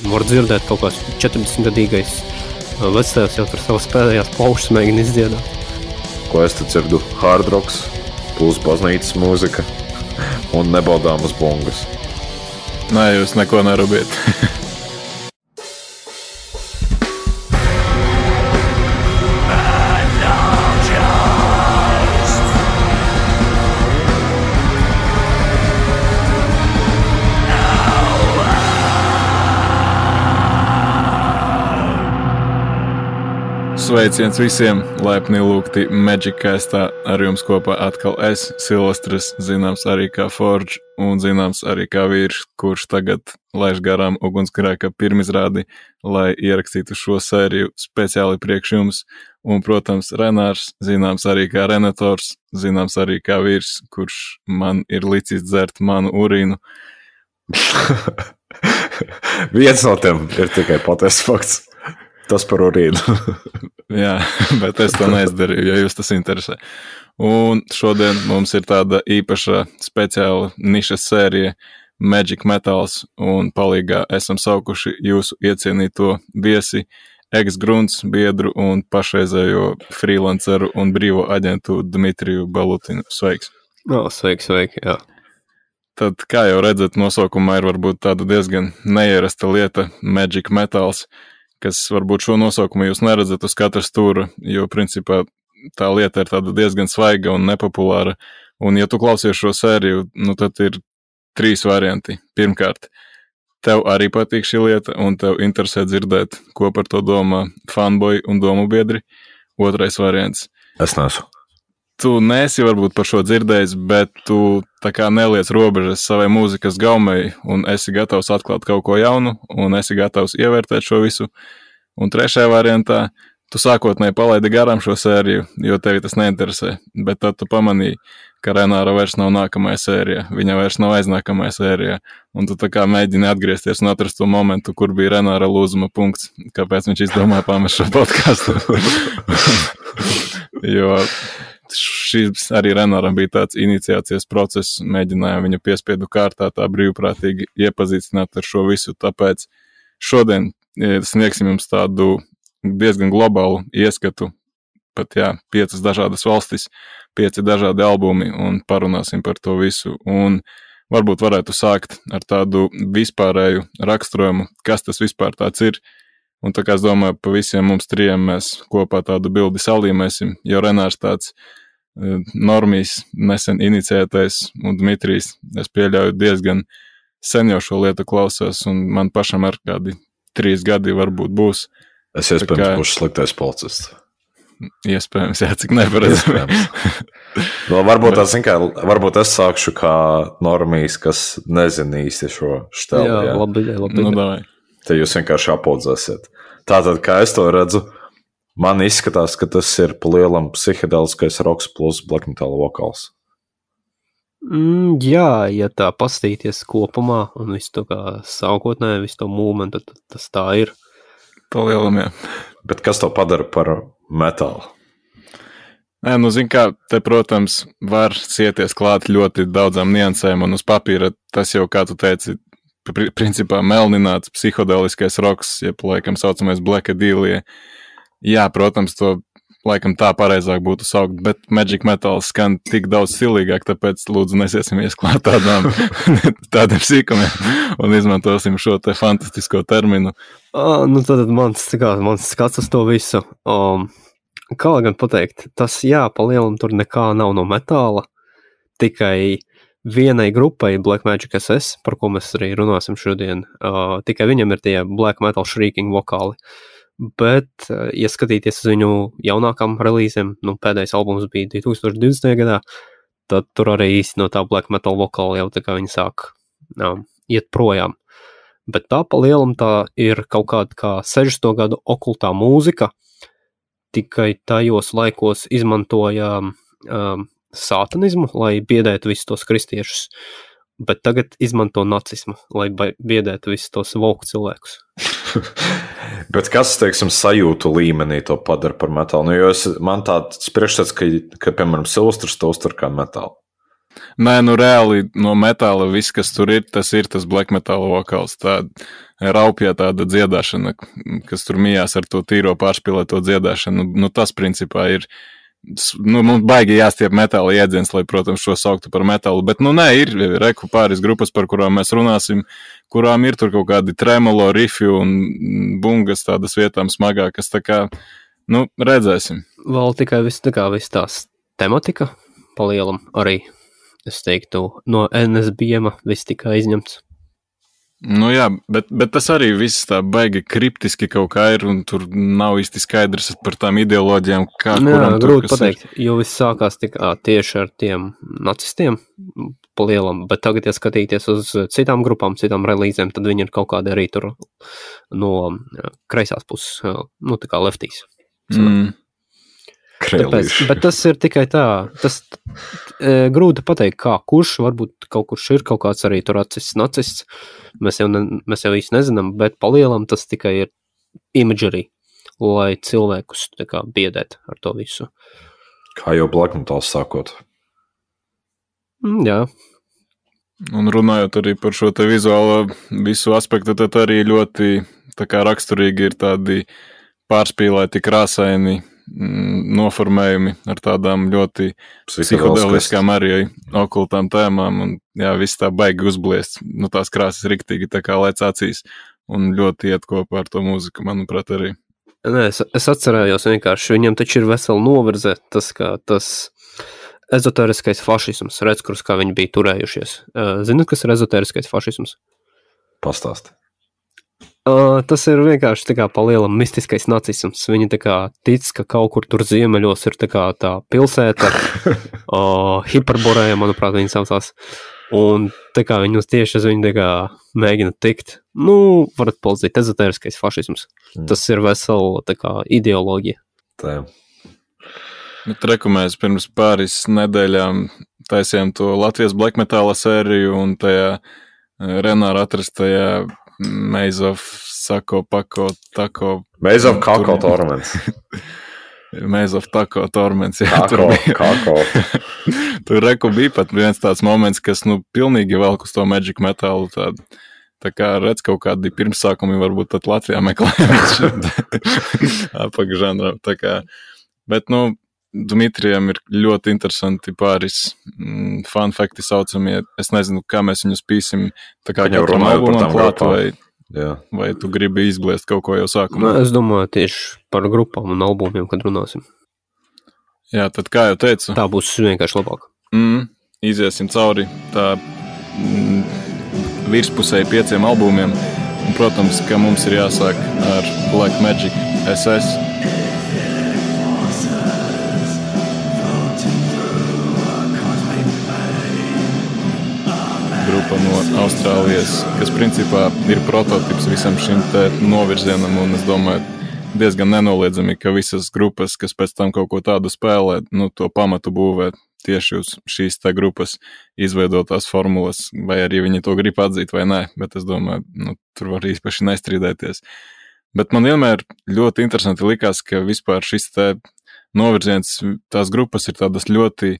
var dzirdēt kaut kāds 40-gadīgais vectēvs jau tur savas pēdējās paušas mēģina izdziedāt. Ko es te dzirdu? Hard rocks, plus baznīcas mūzika un nebaudāmas bungas. Nē, jūs neko nerubiet. Sveiciens visiem, laipni lūgti Magicastā, ar jums kopā atkal es, Silvestris, zināms arī kā Forge un zināms arī kā vīrs, kurš tagad laiž garām ugunsgrēka pirmizrādi, lai ierakstītu šo sēriju speciāli priekš jums, un, protams, Renārs, zināms arī kā Renators, zināms arī kā vīrs, kurš man ir licis dzert manu urīnu. Viens no tiem ir tikai patiesas fakts. Tas par urīnu. Jā, bet es to neizdarīju, ja jūs tas interesē. Un šodien mums ir tāda īpaša speciāla nišas sērija Magic Metals, un palīgā esam saukuši jūsu iecienīto viesi, ex-grunts biedru un pašreizējo freelanceru un brīvo aģentu Dmitriju Balutinu. Sveiks! Sveiki, jā. Tad, kā jau redzat, nosaukumā ir varbūt tāda diezgan neierasta lieta Magic Metals, kas varbūt šo nosaukumu jūs neredzat uz katra stūra, jo principā tā lieta ir tāda diezgan svaiga un nepopulāra. Un ja tu klausies šo sēriju, nu tad ir 3 varianti. Pirmkārt, tev arī patīk šī lieta un tev interesē dzirdēt, ko par to domā fanboy un domu biedri. Otrais variants. Es neesmu. Tu neesi varbūt par šo dzirdējis, bet tu tā kā neliec robežas savai mūzikas gaumei un esi gatavs atklāt kaut ko jaunu un esi gatavs ievērtēt šo visu. Un trešajā variantā tu sākotnēji palaidi garām šo sēriju, jo tevi tas neinteresē, bet tad tu pamanīji, ka Renāra vairs nav nākamajā sērijā, viņa vairs nav aiznākamajā sērijā, un tu tā kā mēģini atgriezties un atrast to momentu, kur bija Renāra lūzuma punkts, kāpēc viņš izdomāja pamest šo podcastu. Jo šis arī Renāram bija tāds iniciācijas process, mēģinājām viņu piespiedu kārtā tā brīvprātīgi iepazīstināt ar šo visu, tāpēc šodien sniegsim jums tādu diezgan globālu ieskatu, pat 5 dažādas valstis, 5 dažādi albumi un parunāsim par to visu, un varbūt varētu sākt ar tādu vispārēju raksturojumu, kas tas vispār tāds ir, un tā kā es domāju, pa visiem mums 3 mēs kopā tādu bildi salīmēsim, jo Renārs tāds Normijs nesen iniciētais un Dmitrijs, es pieļauju diezgan sen jau šo lietu klausās un man pašam ar kādi 3 gadi varbūt būs. Es iespējams būšu sliktais policists. Iespējams, cik neparedzami. Varbūt es sākšu kā Normijs, kas nezina īsti šo štelu. Jā, labi. Nu, davai. Te jūs vienkārši apaudzēsiet. Tātad, kā es to redzu, man izskatās, ka tas ir pa lielam psihedeliskais roks plus black metal vokāls. Jā, ja tā pastīties kopumā un visu to kā sākotnē, visu to mūmentu, tad tas tā ir. Pa lielam, jā. Bet kas to padara par metālu? Nē, nu zin kā, te, protams, var sieties klāt ļoti daudzām niansēm un uz papīra tas jau, kā tu teici, principā melnināts psihodeliskais roks, jeb laikam saucamais Blackadīlie. Jā, protams, to laikam tā pareizāk būtu saukt, bet Magic Metal skan tik daudz stilīgāk, tāpēc lūdzu nesiesimies klāt tādiem sīkumiem un izmantosim šo te fantastisko terminu. Nu tad mans skats uz to visu. Kā gan pateikt, tas pa lielam tur nekā nav no metāla, tikai vienai grupai Black Magic SS, par ko mēs arī runāsim šodien, tikai viņam ir tie Black Metal Shrieking vokāli. Bet, ja skatīties uz viņu jaunākām relīzēm, pēdējais albums bija 2020. gadā, tad tur arī īsti no tā Black Metal vokāla jau tā kā viņi sāk iet projām. Bet tā pa lielam tā ir kaut kāda kā 60. gadu okultā mūzika, tikai tajos laikos izmantoja sātanismu, lai biedētu visus tos kristiešus, bet tagad izmanto nacismu, lai biedētu visus tos voku cilvēkus. Bet kas, teiksim, sajūtu līmenī to padara par metālu? Nu, jo man tāds priekšstats, ka piemēram, Silvestris to uztver kā metālu. Nē, nu reāli no metāla viss, kas tur ir tas black metal vokāls. Tā raupjā tāda dziedāšana, kas tur mijās ar to tīro pārspīlēto dziedāšanu. Nu, tas principā ir, mums baigi jāstiep metāla iedziens, lai, protams, šo sauktu par metālu. Bet, nu, nē, ir reku pāris grupas, par kurām mēs runāsim, kurām ir tur kaut kādi tremolo, rifi un bungas tādas vietām smagākas. Tā kā, nu, redzēsim. Vēl tikai viss tās tematika palielam arī. Es teiktu, no NSBM viss tika izņemts. Nu jā, bet tas arī viss tā baigi kriptiski kaut kā ir, un tur nav īsti skaidrs par tām ideoloģijām, kā kuram tur, grūti pateikt, jo viss sākās tieši ar tiem nacistiem palielam, bet tagad, ja skatīties uz citām grupām, citām relīzēm, tad viņi ir kaut kādi arī tur no kreisās puses, nu tā kā leftīs. Tāpēc, bet tas ir tikai tā, tas grūti pateikt, kā kurš, varbūt kaut kurš ir kaut kāds arī tur nacists, mēs jau īsti nezinām, bet palielam tas tikai ir imagery, lai cilvēkus tā kā biedēt ar to visu. Kā jau black metal sākot. Jā. Un runājot arī par šo te vizuālo visu aspektu, tad arī ļoti tā kā raksturīgi ir tādi pārspīlēti krāsaini noformējumi ar tādām ļoti psihedeliskām arī okultām tēmām, un jā, viss tā baigi uzbliest, nu tās krāsas riktīgi tā kā lēc acīs, un ļoti iet kopā ar to mūziku, manuprāt, arī. Nē, es atcerējos vienkārši, viņam taču ir vesela novirze, tas ezoteriskais fašisms, redz, kurus kā viņi bija turējušies. Zināt, kas ir ezoteriskais fašisms? Pastāsti. Tas ir vienkārši tā kā palielam mistiskais nacisms. Viņi tā kā tic, ka kaut kur tur ziemeļos ir tā kā tā pilsēta, Hiperboreja, manuprāt, viņi saucās. Un tā kā viņi tieši uz viņu tā kā mēģina tikt. Nu, varat palīdzēt, ezoteriskais fašisms. Tas ir vesela tā kā ideoloģija. Tā. Bet reku mēs pirms pāris nedēļām taisījām to Latvijas black metala sēriju, un tajā Renāra atrastajā Maze of Sako Pako Tako. Maze of Kako Torments. Maze of Tako Torments. Jā, Kako. Tur reku bija pat viens tāds moments, kas, nu, pilnīgi velk uz to magic metalu. Tā kā redz kaut kādi pirmsākumi varbūt tad Latvijā meklējumi apakžanrā. Tā kā, bet, nu, Dmitrijam ir ļoti interesanti pāris fun fakti saucamie. Es nezinu, kā mēs viņus pīsim. Tā kā katram albumam klāt, vai tu gribi izbliest kaut ko jau sākumā? Es domāju tieši par grupām un albumiem, kad runāsim. Jā, tad kā jau teicu. Tā būs vienkārši labāk. Iziesim cauri tā virspusēji 5 albumiem. Un, protams, ka mums ir jāsāk ar Black Magic SS. Grupa no Austrālijas, kas principā ir prototips visam šim te novirzienam, un es domāju, diezgan nenoliedzami, ka visas grupas, kas pēc tam kaut ko tādu spēlē, nu, to pamatu būvē tieši uz šīs te grupas izveidotās formulas, vai arī viņi to grib atzīt vai nē, bet es domāju, nu, tur var īpaši nestrīdēties. Bet man vienmēr ļoti interesanti likās, ka vispār šis te novirziens, tās grupas ir tādas ļoti,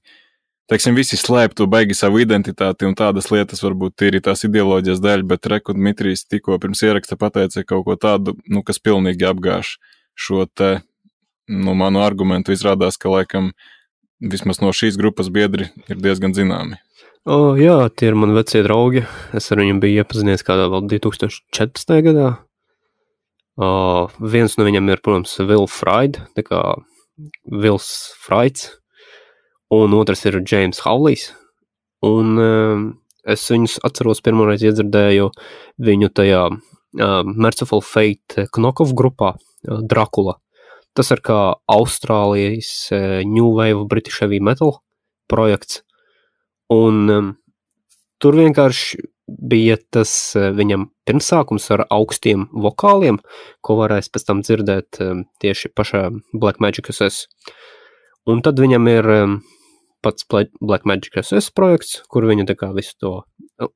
teiksim, visi slēp to baigi savu identitāti un tādas lietas varbūt ir tās ideoloģijas dēļ, bet Reku Dmitrijs tikko pirms ieraksta pateica kaut ko tādu, nu, kas pilnīgi apgāž šo te, nu, manu argumentu. Izrādās, ka laikam vismaz no šīs grupas biedri ir diezgan zināmi. Jā, tie ir mani vecie draugi. Es ar viņiem biju iepazinies kādā vēl 2014. gadā. Viens no viņam ir, protams, Will Fried, tā kā Wills Frieds. Un otrs ir James Howleys, un es viņus atceros pirmoreiz iedzirdēju viņu tajā Merciful Fate Knockoff grupā Dracula. Tas ir kā Austrālijas New Wave British Heavy Metal projekts, un tur vienkārši bija tas viņam pirmsākums ar augstiem vokāliem, ko varēs pēc tam dzirdēt tieši pašā Black Magic SS. Un tad viņam ir pats Black Magic SS projekts, kur viņi tā kā visu to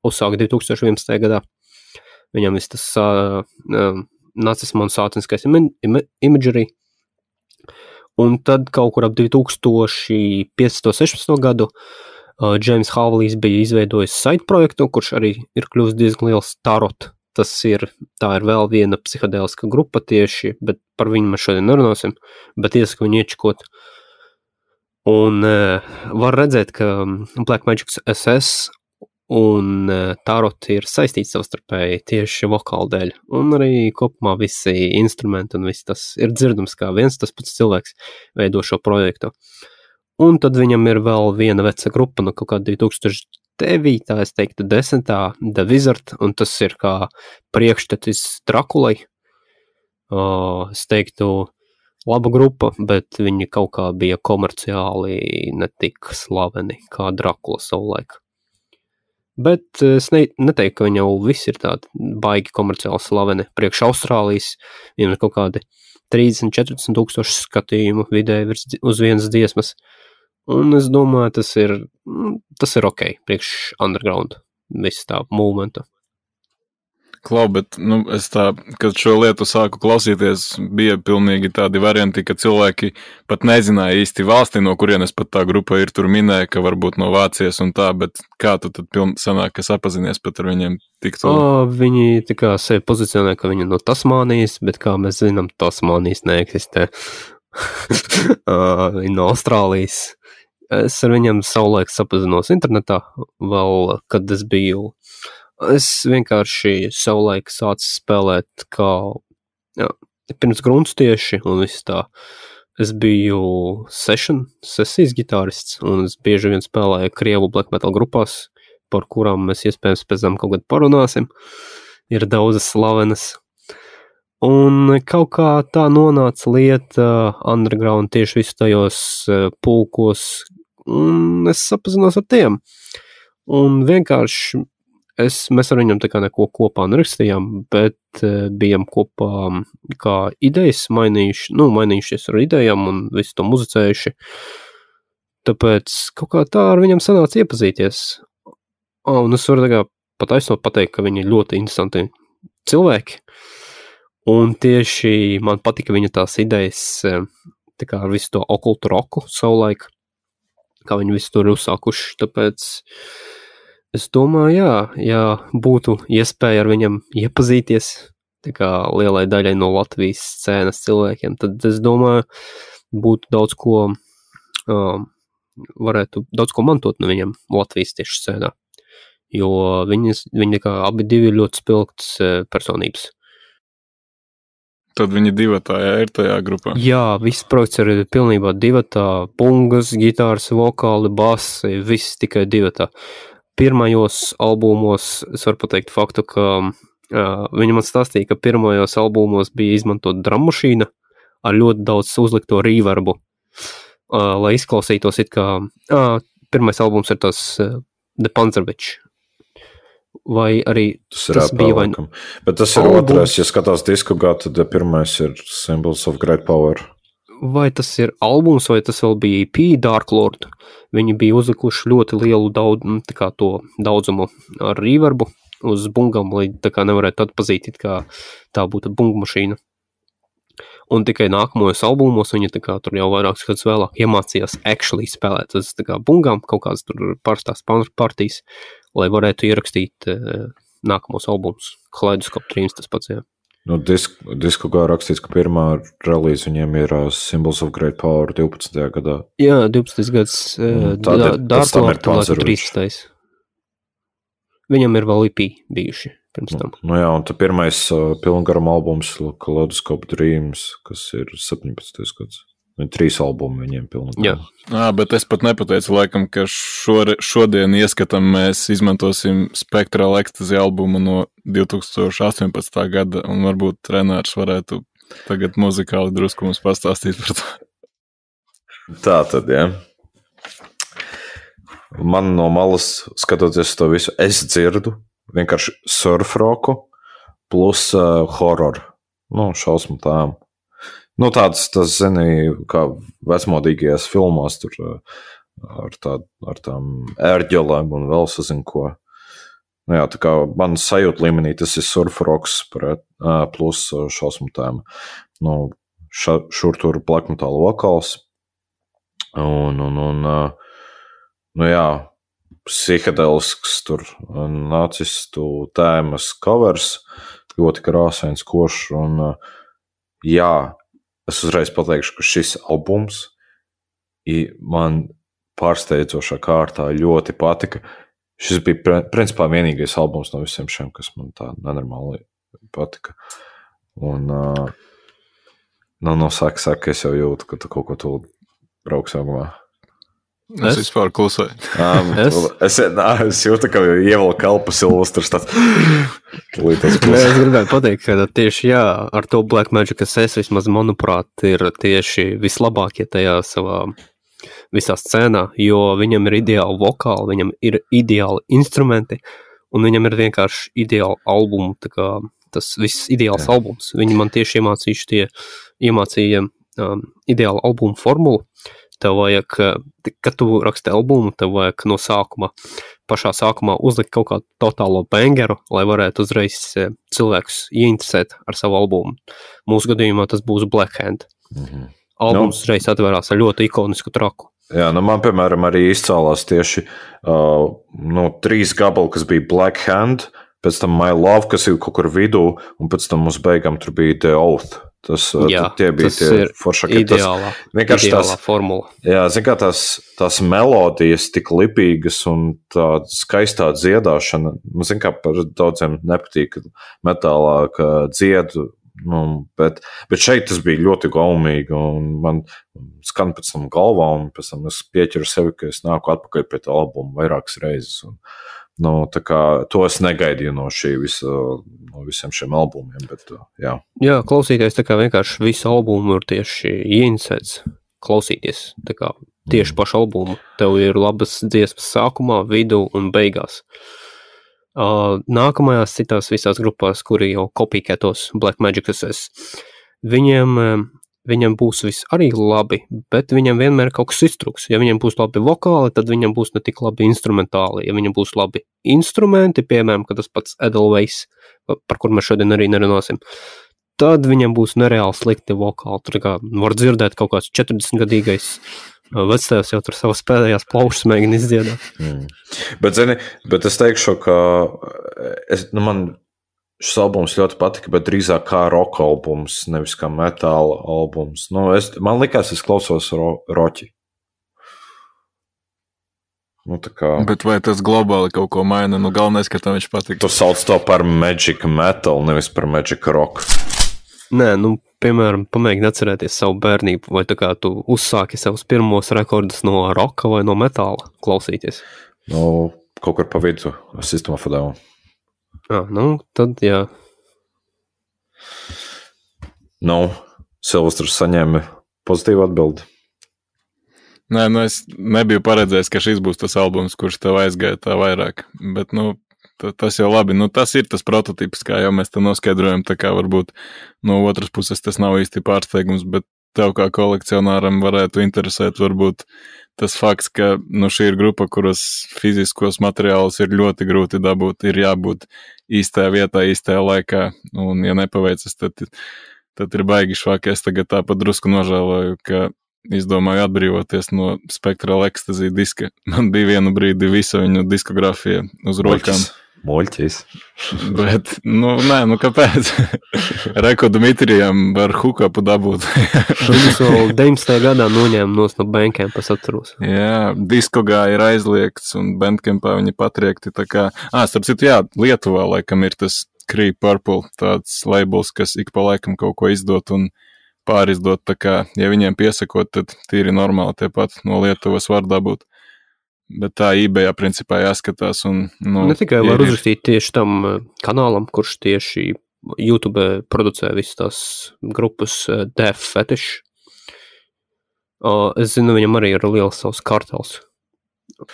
uzsāka 2011. gadā. Viņam viss tas nacisma un sātiniskais imagery. Un tad kaut kur ap 2015. 16. gadu Džeims Havlijs bija izveidojis site projektu, kurš arī ir kļuvis diezgan liels Tarot. Tā ir vēl viena psihedēliska grupa tieši, bet par viņu mēs šodien nerunāsim, bet iesaku viņu iečikot. Un var redzēt, ka Black Magic SS un Tarot ir saistīts savstarpēji tieši vokāla dēļ. Un arī kopumā visi instrumenti un viss tas ir dzirdams, kā viens tas pats cilvēks veido šo projektu. Un tad viņam ir vēl viena veca grupa, no kaut kāda 2009, es teiktu 10. The Wizard, un tas ir kā priekštecis Drakulai. Es teiktu laba grupa, bet viņi kaut kā bija komerciāli netik slaveni kā Drakula savulaik. Bet es neteiktu, ka viņi jau visi ir tādi baigi komerciāli slaveni. Priekš Austrālijas viņam ir kaut kādi 30-40 tūkstoši skatījumu vidēji uz vienas dziesmas. Un es domāju, tas ir ok, priekš underground, visu tā movementa. Klau, bet es kad šo lietu sāku klausīties, bija pilnīgi tādi varianti, ka cilvēki pat nezināja īsti valsti, no kurienes pat tā grupa ir, tur minēja, ka varbūt no Vācijas un tā, bet kā tu tad sanāk, ka sapazinies pat ar viņiem tik tālu? Viņi tā kā sevi pozicionē, ka viņi no Tasmānijas, bet kā mēs zinām, Tasmānijas neeksistē. Viņi no Austrālijas. Es ar viņiem savulaik sapazinos internetā, vēl, kad es vienkārši savulaik sācu spēlēt pirms grunts tieši, un viss tā. Es biju sesijas gitārists, un es bieži vien spēlēju krievu black metal grupās, par kurām mēs iespējams pēc tam kaut kad parunāsim. Ir daudzas slavenas. Un kaut kā tā nonāca lieta underground tieši visu tajos pulkos, un es sapazinos ar tiem. Un vienkārši mēs ar viņam tā kā neko kopā nerakstījām, bet bijām kopā kā idejas mainījušies ar idejām un visu to muzicējuši. Tāpēc kaut kā tā ar viņam sanāca iepazīties. Un es varu tā kā pat aizsnot pateikt, ka viņi ir ļoti interesanti cilvēki. Un tieši man patika viņa tās idejas tā kā ar visu to okultu roku savulaik, kā viņi visu tur uzsākuši, tāpēc es domāju, ja būtu iespēja ar viņam iepazīties, tā kā lielai daļai no Latvijas scēnas cilvēkiem, tad es domāju, būtu daudz ko, varētu daudz ko mantot no viņam Latvijas tieši scēnā, jo viņi kā abi divi ir ļoti spilgtas personības. Tad viņi divatā ir tajā grupā? Jā, viss projekts ir pilnībā divatā, pungas, gitāras, vokāli, basi, viss tikai divatā. Pirmajos albumos es varu pateikt faktu, ka viņi man stāstīja, ka pirmajos albumos bija izmantot drummašīna ar ļoti daudz uzlikto reverbu, lai izklausītos it kā, pirmais albums ir tas The Panzerwitch. Vai arī tas bija vai nu? Bet tas ir otrais, ja skatās diskogrāfiju, tad pirmais ir Symbols of Great Power. Vai tas ir albums, vai tas vēl bija EP Dark Lord? Viņi bija uzlikuši ļoti lielu daudzumu ar reverbu uz bungam, lai tā kā nevarētu atpazīt, it kā tā būtu bunga mašīna. Un tikai nākamajos albumos viņi tā kā tur jau vairākus gadus vēlāk iemācījās actually spēlēt uz tā kā bungām, kaut kādas tur parastās partijas, lai varētu ierakstīt nākamos albumus. Kaleidoskop Dreams tas pats, jā. Nu, diskogā rakstīts, ka pirmā relīze viņiem ir Symbols of Great Power 12. gadā. Jā, 12. gads Dark Lord 13. Viņam ir vēl EP bijuši pirms tam. Nu jā, un tad pirmais pilngaram albums Kaleidoskop Dreams, kas ir 17. gads. 3 albumi viņiem pilnīgi. Jā, bet es pat nepateicu, laikam, ka šodien ieskatam mēs izmantosim Spectral Ecstasy albumu no 2018. gada, un varbūt Renārs varētu tagad muzikāli drusku mums pastāstīt par to. Tā tad, jā. Man no malas, skatoties to visu, es dzirdu vienkārši surf roku plus horror. Šausmu tām. Tāds, zini, kā vecmodīgajās filmās tur ar tām ērģelēm un vēl sazinu ko. Jā, tā kā man sajūta līmenī tas ir surf rocks plus šausmu tēma. Šur tur black metal vokāls. Jā, psihedelisks tur nacistu tēmas covers, ļoti krāsains, košs, un jā, es uzreiz pateikšu, ka šis albums man pārsteidzošā kārtā ļoti patika. Šis bija principā vienīgais albums no visiem šiem, kas man tā nenormāli patika. Un saka, es jau jūtu, ka tu kaut ko tu brauks augumā. Es vispār klusēju. Es jūtu, ka ievelk elpu Silvestrs tāds. Es gribētu pateikt, ka tieši ar to Black Magic SS vismaz, manuprāt, ir tieši vislabākie tajā savā visā scēnā, jo viņam ir ideāli vokāli, viņam ir ideāli instrumenti, un viņam ir vienkārši ideāli albumi, tā kā tas viss ideāls albums. Viņi man tieši iemācīja ideālu albumu formulu. Tev vajag, kad tu raksti albumu, tev vajag no pašā sākumā uzlikt kaut kādu totālo bangeru, lai varētu uzreiz cilvēkus ieinteresēt ar savu albumu. Mūsu gadījumā tas būs Black Hand. Albums uzreiz atvērās ar ļoti ikonisku traku. Jā, man, piemēram, arī izcēlās tieši 3 gabali, kas bija Black Hand, pēc tam My Love, kas ir kaut kur vidū, un pēc tam mums beigām tur bija The Oath. Tie bija tie foršākie. Ideālā formula. Jā, zin kā tās melodijas tik lipīgas un tāda skaistā dziedāšana. Zin kā par daudziem nepatīk metālā, ka dziedu, bet šeit tas bija ļoti gaumīgi un man skan pēc tam galvā un pēc tam es pieķeru sevi, ka es nāku atpakaļ pie tā albuma vairākas reizes. Un, tā kā to es negaidīju no visiem šiem albumiem, bet jā. Jā, klausīties tā kā vienkārši visu albumu ir tieši ieinsēts klausīties, tā kā tieši pašu albumu. Tev ir labas dziesmas sākumā, vidū un beigās. Nākamajās citās visās grupās, kuri jau kopīkētos Black Magic SS, viņam būs viss arī labi, bet viņam vienmēr kaut kas iztrūks. Ja viņam būs labi vokāli, tad viņam būs ne tik labi instrumentāli. Ja viņam būs labi instrumenti, piemēram, kad tas pats Edelweiss, par kur mēs šodien arī nerunāsim, tad viņam būs nereāli slikti vokāli. Tur kā var dzirdēt kaut kāds 40-gadīgais vectēvs jau tur savas pēdējās plaušas mēģina izdziedāt. Bet es teikšu, ka man šis albums ļoti patika, bet drīzāk kā rock albums, nevis kā metāla albums. Man likās, es klausos roķi. Bet vai tas globāli kaut ko maina? Galvenais, ka tam viņš patika. Tu sauc to par Magic Metal, nevis par Magic Rock. Nē, piemēram, pamēģini atcerēties savu bērnību, vai tā kā tu uzsāki savus pirmos rekordus no roka vai no metāla klausīties? Kaut kur pa vidu System of a Down. Tad jā. Silvestrs saņēma pozitīvu atbildi. Nē, es nebiju paredzējis, ka šis būs tas albums, kurš tev aizgāja tā vairāk, bet, tas jau labi. Tas ir tas prototips, kā jau mēs te noskaidrojam, tā kā varbūt no otras puses tas nav īsti pārsteigums, bet tev kā kolekcionāram varētu interesēt varbūt tas fakts, ka šī ir grupa, kuras fiziskos materiālus ir ļoti grūti dabūt, ir jābūt īstajā vietā, īstajā laikā, un ja nepaveicas, tad ir baigi švāk. Es tagad tāpat drusku nožēloju, ka izdomāju atbrīvoties no Spectral Ecstasy diska. Man bija vienu brīdi visa viņu diskogrāfija uz rokām. Moļķis. Bet, kāpēc? Reko Dmitrijam var hookupu dabūt. Viņus vēl 19. gadā noņēma no Bandcampa, es atceros. Jā, Diskogā ir aizliegts un Bandcampā viņi patriekti tā kā... starp citu, Lietuvā laikam ir tas Cree Purple, tāds labels, kas ik pa laikam kaut ko izdot un pārizdot, tā kā, ja viņiem piesakot, tad tīri normāli tie pat no Lietuvas var dabūt. Bet tā eBayā principā jāskatās. Ne tikai var uzrakstīt tieši tam kanālam, kurš tieši YouTube producē visas tās grupas Death Fetish. Es zinu, viņam arī ir liels savs kartels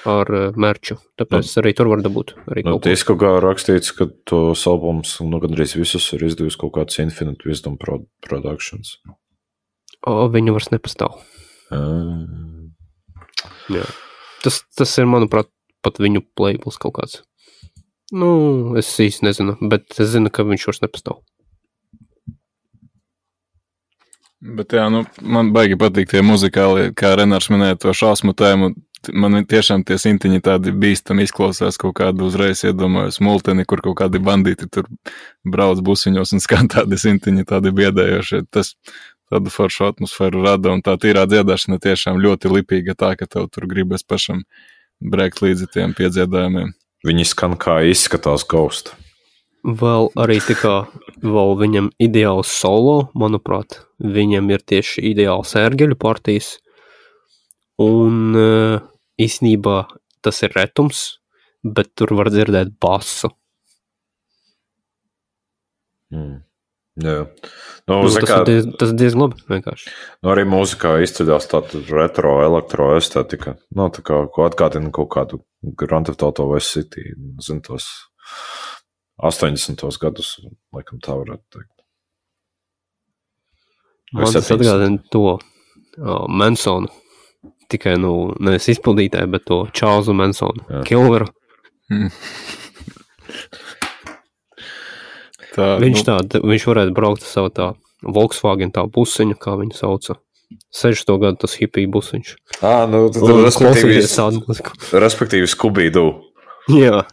ar merču, tāpēc arī tur var dabūt. Diskogā rakstīts, ka tos albums gandrīz visus ir izdevusi kaut kāds Infinite Wisdom Productions. Viņu vairs nepastāv. Jā. Tas ir, manuprāt, pat viņu labels kaut kāds. Es īsti nezinu, bet es zinu, ka viņš vairs nepastāv. Bet jā, man baigi patīk tie muzikāli, kā Renārs minēja to šausmu tēmu. man tiešām tie sintiņi tādi bīstami izklausās, kaut kādu uzreiz iedomājos multeni, kur kaut kādi bandīti tur brauc busiņos un skan tādi sintiņi, tādi biedējošie. Tas tādu foršu atmosfēru rada, un tā tīrā dziedāšana tiešām ļoti lipīga tā, ka tev tur gribas pašam brēkt līdzi tiem piedziedājumiem. Viņi skan kā izskatās Ghost. Vēl arī vēl viņam ideāls solo, manuprāt, viņam ir tieši ideāls ērgeļu partijas, un īsnībā tas ir retums, bet tur var dzirdēt basu. Jā. Tas ir diezgan labi, vienkārši. Arī mūzikā izceļās tāda retro, elektroestētika. Tā kā atgādina kaut kādu Grand Theft Auto Vice City, zinu, tos 80. gadus, laikam tā varētu teikt. Man tas atgādina to Mansonu. Tikai, nevis izpildītāju, bet to Čārlzu Mansonu. Kilveru. Viņš varētu braukt ar savu tā Volkswagen tā busiņu, kā viņu sauca. 60. gadu tas hipija busiņš. Respektīvi Scooby-Doo. Jā.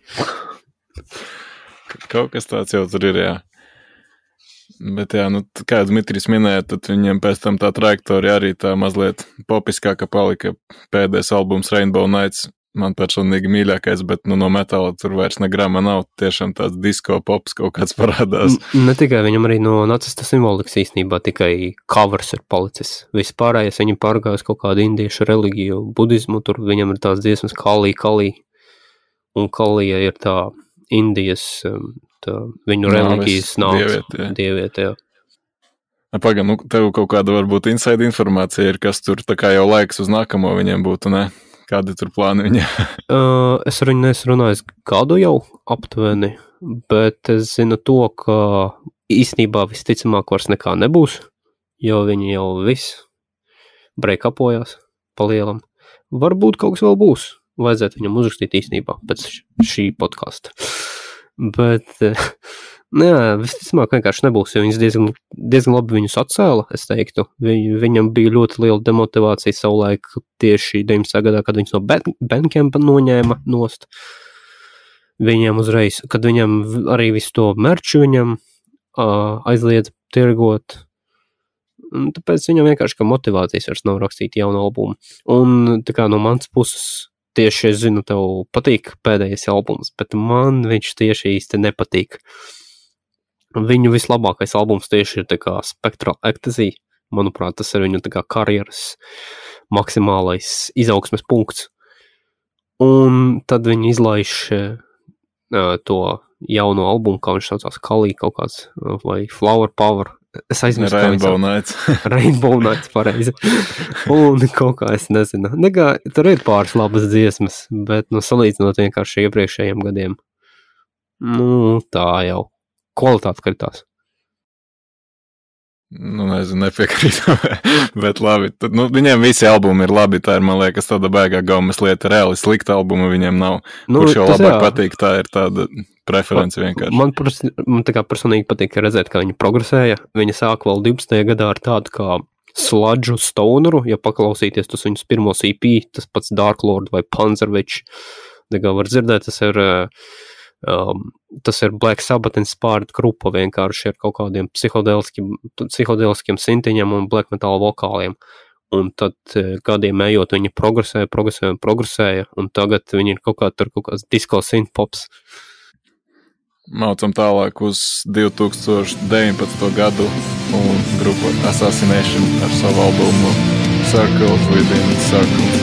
Kaut kas tāds jau tur ir, jā. Bet jā, kā Dmitrijs minēja, tad viņiem pēc tam tā trajektorija arī tā mazliet popiskāka palika. Pēdējais albums Rainbow Nights man personīgi mīļākais, bet no metāla tur vairs ne grama nav. Tiešām tāds disko pops kaut kāds parādās. Ne tikai viņam arī no nacista simbolikas īstenībā tikai covers ir palicis. Vispārējais viņi pārgājas kaut kādu indiešu religiju, budismu, tur viņam ir tās dziesmas Kali. Un Kalija ir tā Indijas viņu reliģijas dieviete, jā. Pagaid, tev kaut kāda varbūt inside informācija ir, kas tur tā kā jau laiks uz nākamo viņiem būtu, ne? Kādi tur plāni viņiem? Es ar viņu neesmu runājis gadu jau aptuveni, bet es zinu to, ka īstenībā visticamāk vairs nekā nebūs, jo viņi jau viss breakupojās pa lielam. Varbūt kaut kas vēl būs. Vajadzētu viņam uzrakstīt īstenībā pēc šī podkasta. Bet, visticamāk vienkārši nebūs, jo viņas diezgan labi viņus atcēla, es teiktu. Viņam bija ļoti liela demotivācija savulaik tieši 19. gadā, kad viņus no Bandcampa noņēma nost. Viņam uzreiz, kad viņam arī visu to merču viņam aizliedz tirgot. Un tāpēc viņam vienkārši kā motivācijas vairs nav rakstīt jaunu albumu. Un tā kā no manas puses tieši es zinu, tev patīk pēdējais albums, bet man viņš tieši īsti nepatīk. Viņu vislabākais albums tieši ir tā kā Spectral Ecstasy. Manuprāt, tas ir viņu tā kā karjeras maksimālais izaugsmes punkts. Un tad viņi izlaiž to jauno albumu, kā viņš saucās Kali kaut kāds, vai Flower Power. Es aizmirstu, Rainbow Nights. Rainbow Nights, pareizi. Un kaut kā es nezinu. Tur ir pāris labas dziesmas, bet salīdzinot vienkārši iepriekšējiem gadiem. Tā jau. Kvalitāte kritās. Nezinu, nepiekrītu, bet labi. Tad, viņiem visi albumi ir labi, tā ir, man liekas, tāda baigā gaumas lieta. Reāli slikta albuma viņiem nav. Kurš jau labāk patīk, tā ir tāda preference vienkārši. Man tā kā personīgi patīk redzēt, kā viņi progresēja. Viņi sāk vēl 12. gadā ar tādu kā sludžu stoneru, ja paklausīties tos viņus pirmos EP, tas pats Dark Lord vai Panzerwitch. Tā kā var dzirdēt, tas ir Black Sabbath inspired grupa vienkārši ar kaut kādiem psihodeliskiem sintiņiem un black metal vokāliem. Un tad gadiem ejot viņi progresēja, un tagad viņi ir kaut kāds disco synth-pops. Maucam tālāk uz 2019. gadu un grupu Assassination ar savu albumu Circles Within Circles.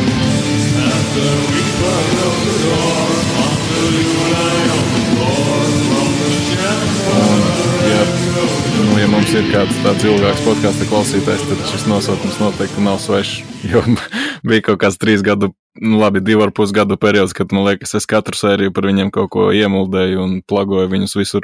Ja mums ir kāds tāds ilgāks podkasta klausītājs, tad šis nosaukums noteikti nav svešs, jo bija kaut kāds 3 gadu, 2,5 gadu periods, kad, man liekas, es katru sēriju par viņiem kaut ko iemuldēju un plagoju viņus visur,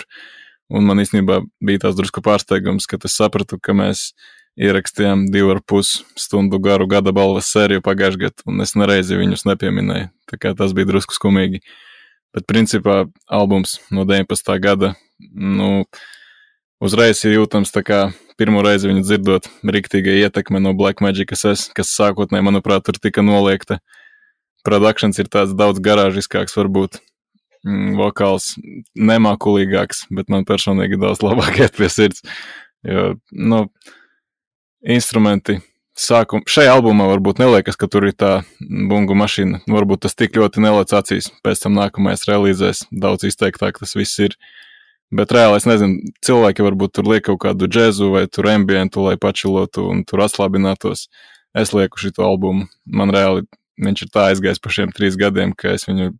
un man īstenībā bija tās drusku pārsteigums, kad es sapratu, ka mēs ierakstījām 2,5 stundu garu gada balvas sēriju pagājušajā gadā, un es nereizi viņus nepieminēju, tā kā tas bija drusku skumīgi. Bet principā albums no 19. gada, uzreiz ir jūtams tā kā pirmo reizi viņu dzirdot riktīga ietekme no Black Magic SS, kas sākotnēji, manuprāt, tur tika noliekta. produktions ir tāds daudz garāžiskāks, varbūt vokāls nemākulīgāks, bet man personīgi daudz labāk iet pie sirds. Jo, instrumenti šajā albumā varbūt neliekas, ka tur ir tā bungu mašīna. Varbūt tas tik ļoti nelec acīs. Pēc tam nākamais relīzēs daudz izteiktāk tas viss ir. Bet reāli es nezinu, cilvēki varbūt tur liek kaut kādu džēzu vai tur ambientu, lai pačilotu un tur atslābinātos. Es lieku šito albumu. Man reāli viņš ir tā aizgājis par šiem 3 gadiem, ka es viņu,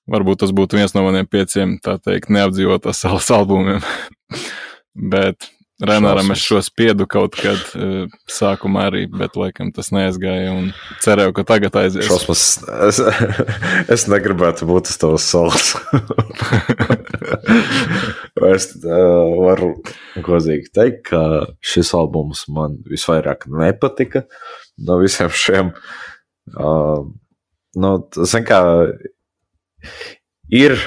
varbūt tas būtu viens no maniem 5, tā teikt, neapdzīvotās salas albumiem. Bet Renāram es šo spiedu kaut kad sākumā arī, bet laikam tas neaizgāja un cerēju, ka tagad aizies. Šausmas, es negribētu būt uz tavas salas. Es varu godīgi teikt, ka šis albums man visvairāk nepatika no visiem šiem. Zin kā, ir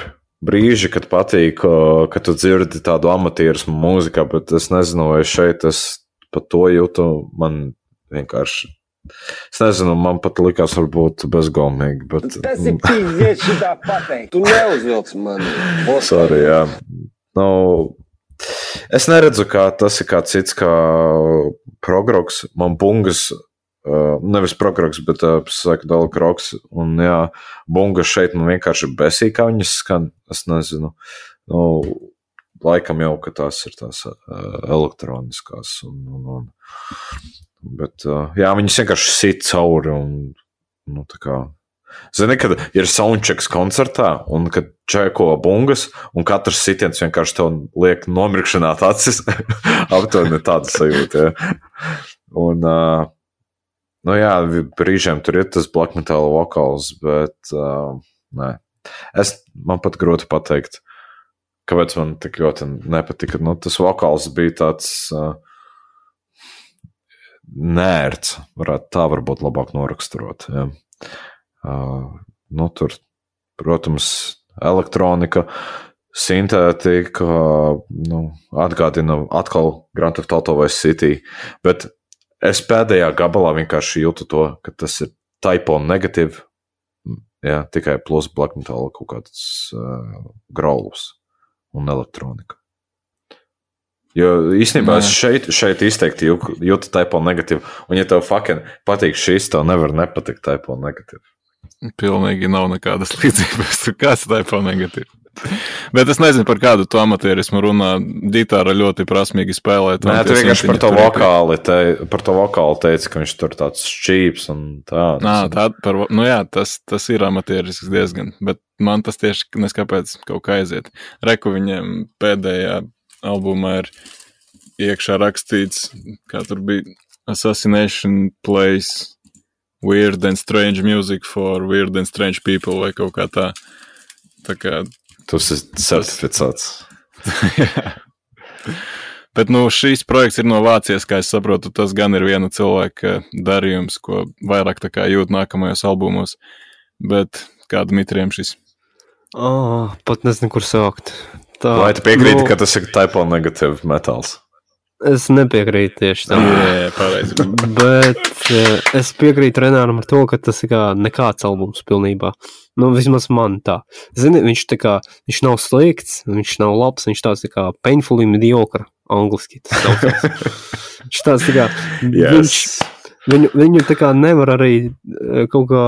brīži, kad patīk, ka tu dzirdi tādu amatierismu mūzikā, bet es nezinu, vai šeit es pat to jūtu, man vienkārši, es nezinu, man pat likās varbūt bezgaumīgi, bet... Tas ir pīzies šitā pateikt, tu neuzvilc mani. Sorry, jā. Es neredzu, kā tas ir kā cits, kā progroks, man bungas, nevis progroks, bet psychedelic rocks, un jā, bungas šeit man vienkārši besī, kā viņas skan, es nezinu, laikam jau, ka tās ir tās elektroniskās, bet jā, viņas vienkārši sit cauri, un tā kā, zini, kad ir soundchecks koncertā, un kad čeko bungas, un katrs sitiens vienkārši tev liek nomirkšanāt acis, aptuveni tāda sajūta, ja. Un, jā, brīžiem tur ir tas black metal vokāls, bet nē. Man pat grūti pateikt, kāpēc man tik ļoti nepatika. Tas vokāls bija tāds nērts, varētu tā varbūt labāk noraksturot. Ja. Tur, protams, elektronika, sintētika, atgādina atkal Grand Theft Auto Vice City, bet es pēdējā gabalā vienkārši jūtu to, ka tas ir typo negatīvi, jā, tikai plus black metal kaut kāds graulus un elektronika. Jo īstenībā es šeit izteikti jūtu typo negatīvi, un ja tev fucking patīk šis, tev nevar nepatikt typo negatīvi. Pilnīgi nav nekādas līdzības, kāds typo negatīvi. Bet es nezinu, par kādu to amatierismu runā. Gitāra ļoti prasmīgi spēlēt. Nē, tu vienkārši par to vokāli teici, ka viņš tur tāds šķīps un tā. Jā, tas ir amatierisks diezgan, bet man tas tieši neskāpēc kaut kā aiziet. Reku viņiem pēdējā albumā ir iekšā rakstīts, kā tur bija Assassination plays weird and strange music for weird and strange people vai kaut kā tā. Tā kā tas ir certificēts. Jā. Bet šīs projekts ir no Vācijas, kā es saprotu, tas gan ir viena cilvēka darījums, ko vairāk tā kā jūt nākamajos albumos. Bet kā Dmitriem šis? Pat nezinu, kur sākt. Vai tu piekrīti, ka tas ir typo negatīvi metāls? Es nepiekrītu tieši tam. Jā, pareizi. Bet es piekrītu Renāram ar to, ka tas ir kā nekāds albums pilnībā. Vismaz man tā. Zini, viņš nav slikts, viņš nav labs, viņš tāds tā kā painfully mediocre, angliski. Viņš tāds tā kā, yes. Viņu tā kā nevar arī kaut kā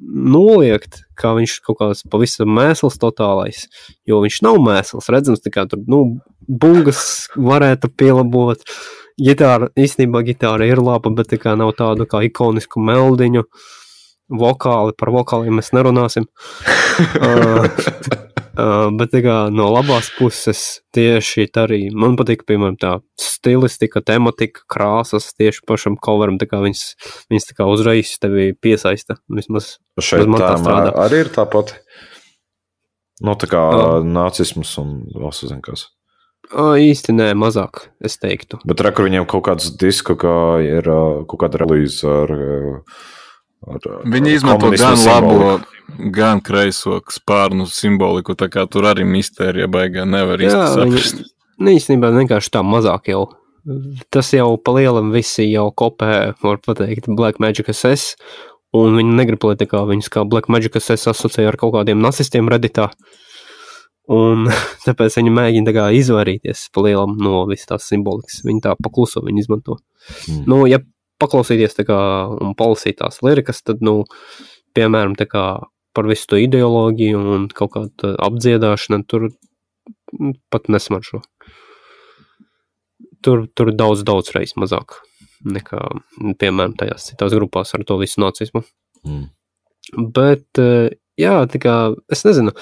noliegt, kā viņš kaut kāds pavisam mēsls totālais, jo viņš nav mēsls, redzams, tā kā tur, bungas varētu pielabot, īstenībā gitāra ir laba, bet tā kā nav tādu kā ikonisku meldiņu, par vokāliem mēs nerunāsim, bet tā kā no labās puses tieši arī, man patīk, piemēram, tā stilistika, tematika, krāsas tieši pašam coveram, tā kā viņas tā kā uzreiz tevi piesaista, vismaz man tā strādā. Arī ir tāpat, tā kā nacisms un valsts zinkas. Īsti nē, mazāk, es teiktu. Bet kur viņiem kaut kāds disku, kā ir kaut kāda relīze ar viņi izmanto gan labo, gan kreiso spārnu simboliku, tā kā tur arī mistērija baigā nevar īsti saprast. Īstenībā vienkārši tā mazāk jau. Tas jau pa lielam visi jau kopē, var pateikt, Black Magic SS, un viņi negrib, lai tā kā viņus kā Black Magic SS asociē ar kaut kādiem nacistiem Redditā, un tāpēc viņi mēģina tā kā izvairīties pa lielam no visas tās simbolikas, viņi tā pakluso viņi izmanto. Nu, ja paklausīties tā kā un palasīt tās lirikas, tad, nu, piemēram, tā kā par visu to ideoloģiju un kaut kādu apdziedāšanu, tur pat nesmaržo. Tur daudz reiz mazāk nekā, piemēram, tajās citās grupās ar to visu nacismu. Bet, jā, tā kā, es nezinu,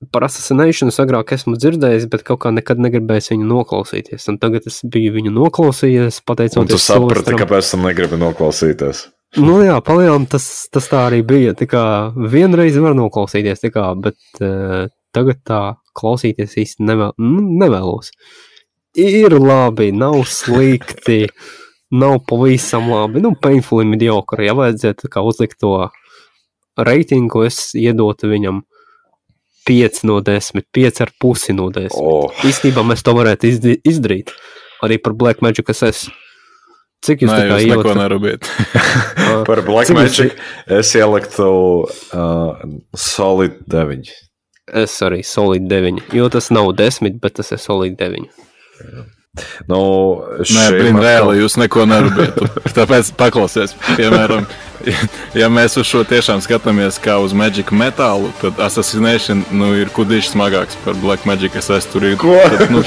par Assassination agrāk esmu dzirdējis, bet kaut kā nekad negribējis viņu noklausīties. Un tagad es biju viņu noklausījies, pateicoties... Un tu saprati, kāpēc tu negribi noklausīties? Nu jā, palielam tas tā arī bija. Tā kā vienreiz var noklausīties, tā kā, bet tagad tā klausīties īsti nevēlos. Ir labi, nav slikti, nav pavisam labi. Nu, painfully mediocre. Ja vajadzētu kā uzlikt to reitingu, es iedotu viņam 5 no 10, 5,5 no 10. Īstenībā mēs to varētu izdarīt. Arī par Black Magic SS. Cik jūs tā kā ieliktu? Neko nerubiet. Par Black Magic es ieliktu solid 9. Es arī solid 9, jo tas nav 10, bet tas ir solid 9. Nu, nē, reāli jūs neko nerubiet. Tāpēc paklausies, piemēram, ja mēs uz šo tiešām skatāmies kā uz Magic metālu, tad Assassination ir kudīši smagāks par Black Magic SS. Tur ir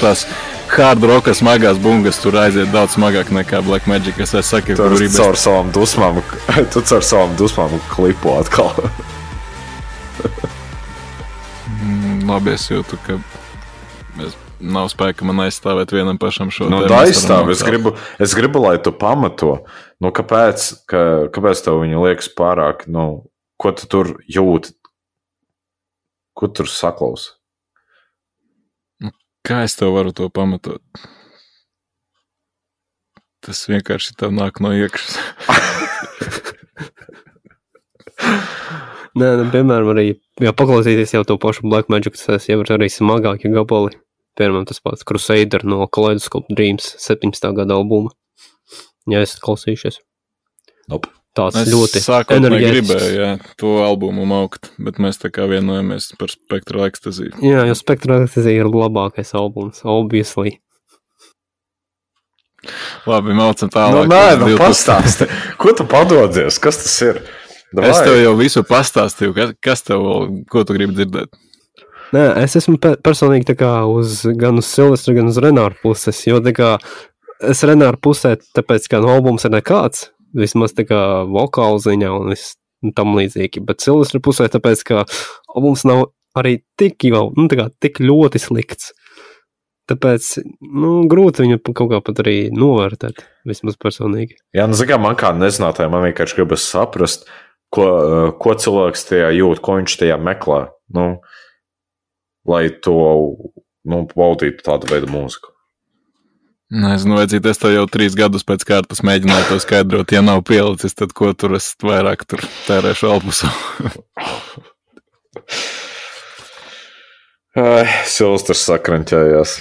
tās hard rocka smagās bungas, tur aiziet daudz smagāk nekā Black Magic SS. Saki, tur caur savām dusmām klipo atkal. Labi, es jūtu, ka nav spēka man aizstāvēt vienam pašam šo tēmu. Nu, aizstāv, es gribu, lai tu pamato. Nu, kāpēc tev viņa liekas pārāk, ko tu tur jūti? Ko tur saklausi? Kā es tev varu to pamatot? Tas vienkārši tev nāk no iekšas. Nē, piemēram, arī, ja paklausīties jau to pašu Black Magic, tas jau ir arī smagākie gabali. Piemēram, tas pats Crusader no Kaleidoscope Dreams 17. gada albuma. Ja esat klausījušies. Nope. Tāds es ļoti enerģētisks. Gribēju, to albumu maukt, bet mēs tā kā vienojamies par Spectral Ecstasy. Jā, jo Spectral Ecstasy ir labākais albums, obviously. Labi, maucam tālāk. Pastāsti. Ko tu padodies? Kas tas ir? Davai. Es tev jau visu pastāstīju. Kas tev vēl, ko tu gribi dzirdēt? Nē, es esmu personīgi tā kā gan uz Silvestra, gan uz Renāra puses, jo tā kā es Renāra pusē, tāpēc kā albums ir nekāds, vismaz tā kā vokāla ziņā un tam līdzīgi, bet Silvestra pusē, tāpēc kā albums nav arī tik ļoti slikts. Tāpēc, grūti viņu kaut kā pat arī novērtēt, vismaz personīgi. Jā, man kā nezinātāji, man vienkārši gribas saprast, ko cilvēks tajā jūt, ko viņš tajā meklē, lai to, baudītu tādu veidu mūziku. Nezinu, vajadzīt, es tev jau 3 gadus pēc kārtas mēģināju to skaidrot, ja nav pielicis, tad ko tur es vairāk tur tērēšu albusu. Silvestrs sakranķējās.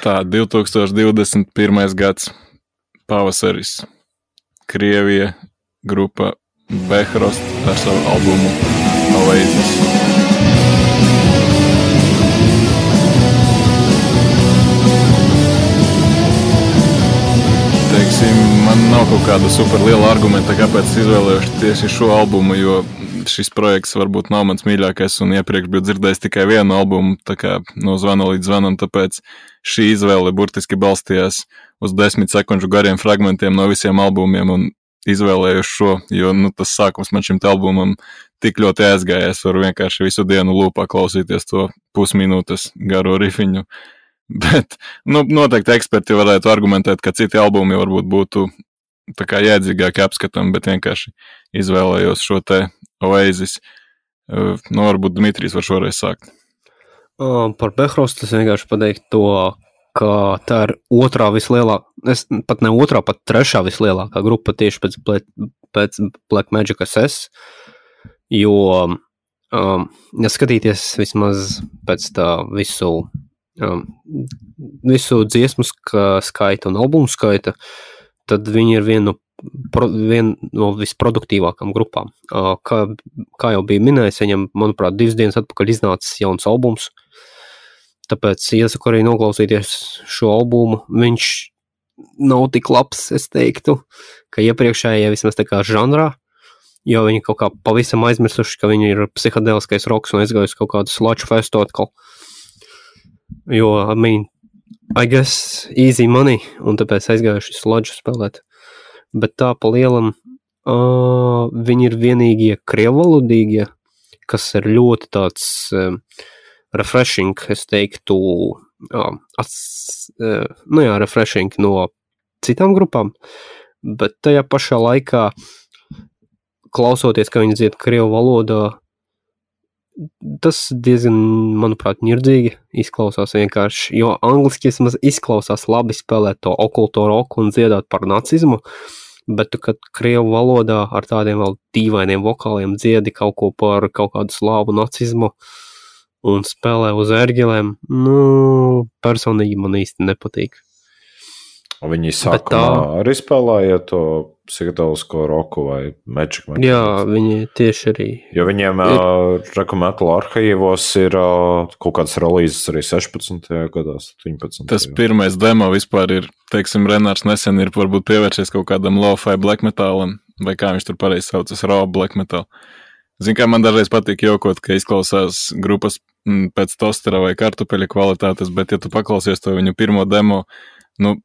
Tā, 2021. gads, pavasaris, Krievija, grupa Behrost ar savu albumu Oasis. Man nav kaut kāda super liela argumenta, kāpēc izvēlējuši tieši šo albumu, jo šis projekts varbūt nav mans mīļākais un iepriekš biju dzirdējis tikai vienu albumu, tā kā no zvana līdz zvanam, tāpēc šī izvēle burtiski balstījās uz 10 sekundžu gariem fragmentiem no visiem albumiem un izvēlējuši šo, jo tas sākums man šim albumam tik ļoti aizgāja, es varu vienkārši visu dienu lūpā klausīties to pusminūtes garo rifiņu. Bet, noteikti eksperti varētu argumentēt, ka citi albumi varbūt būtu tā kā jēdzīgāki apskatām, bet vienkārši izvēlējos šo te Oasis. Varbūt Dmitrijs var šoreiz sākt. Par Behrostu es vienkārši pateiktu to, ka tā ir otrā vislielākā, pat ne otrā, pat trešā vislielākā grupa tieši pēc Black Magic SS, jo, ja skatīties vismaz pēc tā visu dziesmu skaita un albumu skaita, tad viņi ir viena no visproduktīvākām grupām. Kā jau bija minējis, viņam, manuprāt, 2 dienas atpakaļ iznācis jauns albums, tāpēc iesaku arī noklausīties šo albumu. Viņš nav tik labs, es teiktu, ka iepriekšējie vismaz tā kā žanrā, jo viņi kaut kā pavisam aizmirsuši, ka viņi ir psihadeliskais roks un aizgājusi kaut kādu sludge festu atkal. Jo, I guess easy money, un tāpēc aizgājuši sludge spēlēt. Bet tā pa lielam viņi ir vienīgie krievvalodīgie, kas ir ļoti tāds refreshing, es teiktu, refreshing no citām grupām, bet tajā pašā laikā klausoties, ka viņi dzied krievu valodā, tas diezgan, manuprāt, ņirdzīgi izklausās vienkārši, jo angliski vismaz izklausās labi spēlēt to okulto roku un dziedāt par nacismu, bet tu, kad krievu valodā ar tādiem vēl dīvainiem vokāliem dziedi kaut ko par kaut kādu slāvu nacismu un spēlē uz ērģelēm, personīgi man īsti nepatīk. Viņi sākumā arī spēlēja to psihedelisko roku vai Magic Metal. Jā, viņi tieši arī. Jo viņiem Metal arhīvos ir kaut kāds relīzes arī 16. gadā, 17. Tas pirmais demo vispār ir, teiksim, Renārs nesen ir varbūt pievēršies kaut kādam lo-fi black metalam, vai kā viņš tur pareizi saucas, raw black metal. Zin, kā man dažreiz patīk jokot, ka izklausās grupas pēc tostera vai kartupeļa kvalitātes, bet ja tu paklausies to viņu pirmo demo,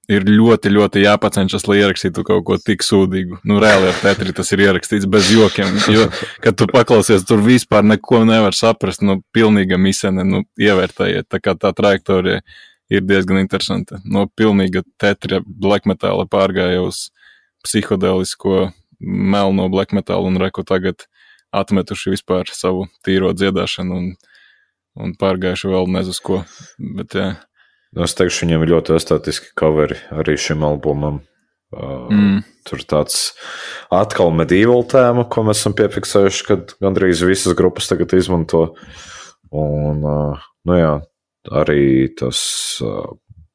ir ļoti, ļoti jāpacenšas, lai ierakstītu kaut ko tik sūdīgu. Reāli ar tetri tas ir ierakstīts bez jokiem, jo, kad tu paklausies, tur vispār neko nevar saprast, pilnīga misene, ievērtējiet, tā kā tā trajektorija ir diezgan interesanta. No pilnīga tetri black metala pārgāja uz psihodelisko melno black metalu un reku tagad atmetuši vispār savu tīro dziedāšanu un pārgājuši vēl nezinu ko, bet jā. Es teikšu, viņiem ir ļoti estētiski coveri arī šim albumam. Tur tāds atkal medieval tēma, ko mēs esam piefiksējuši, kad gandrīz visas grupas tagad izmanto. Un, arī tas,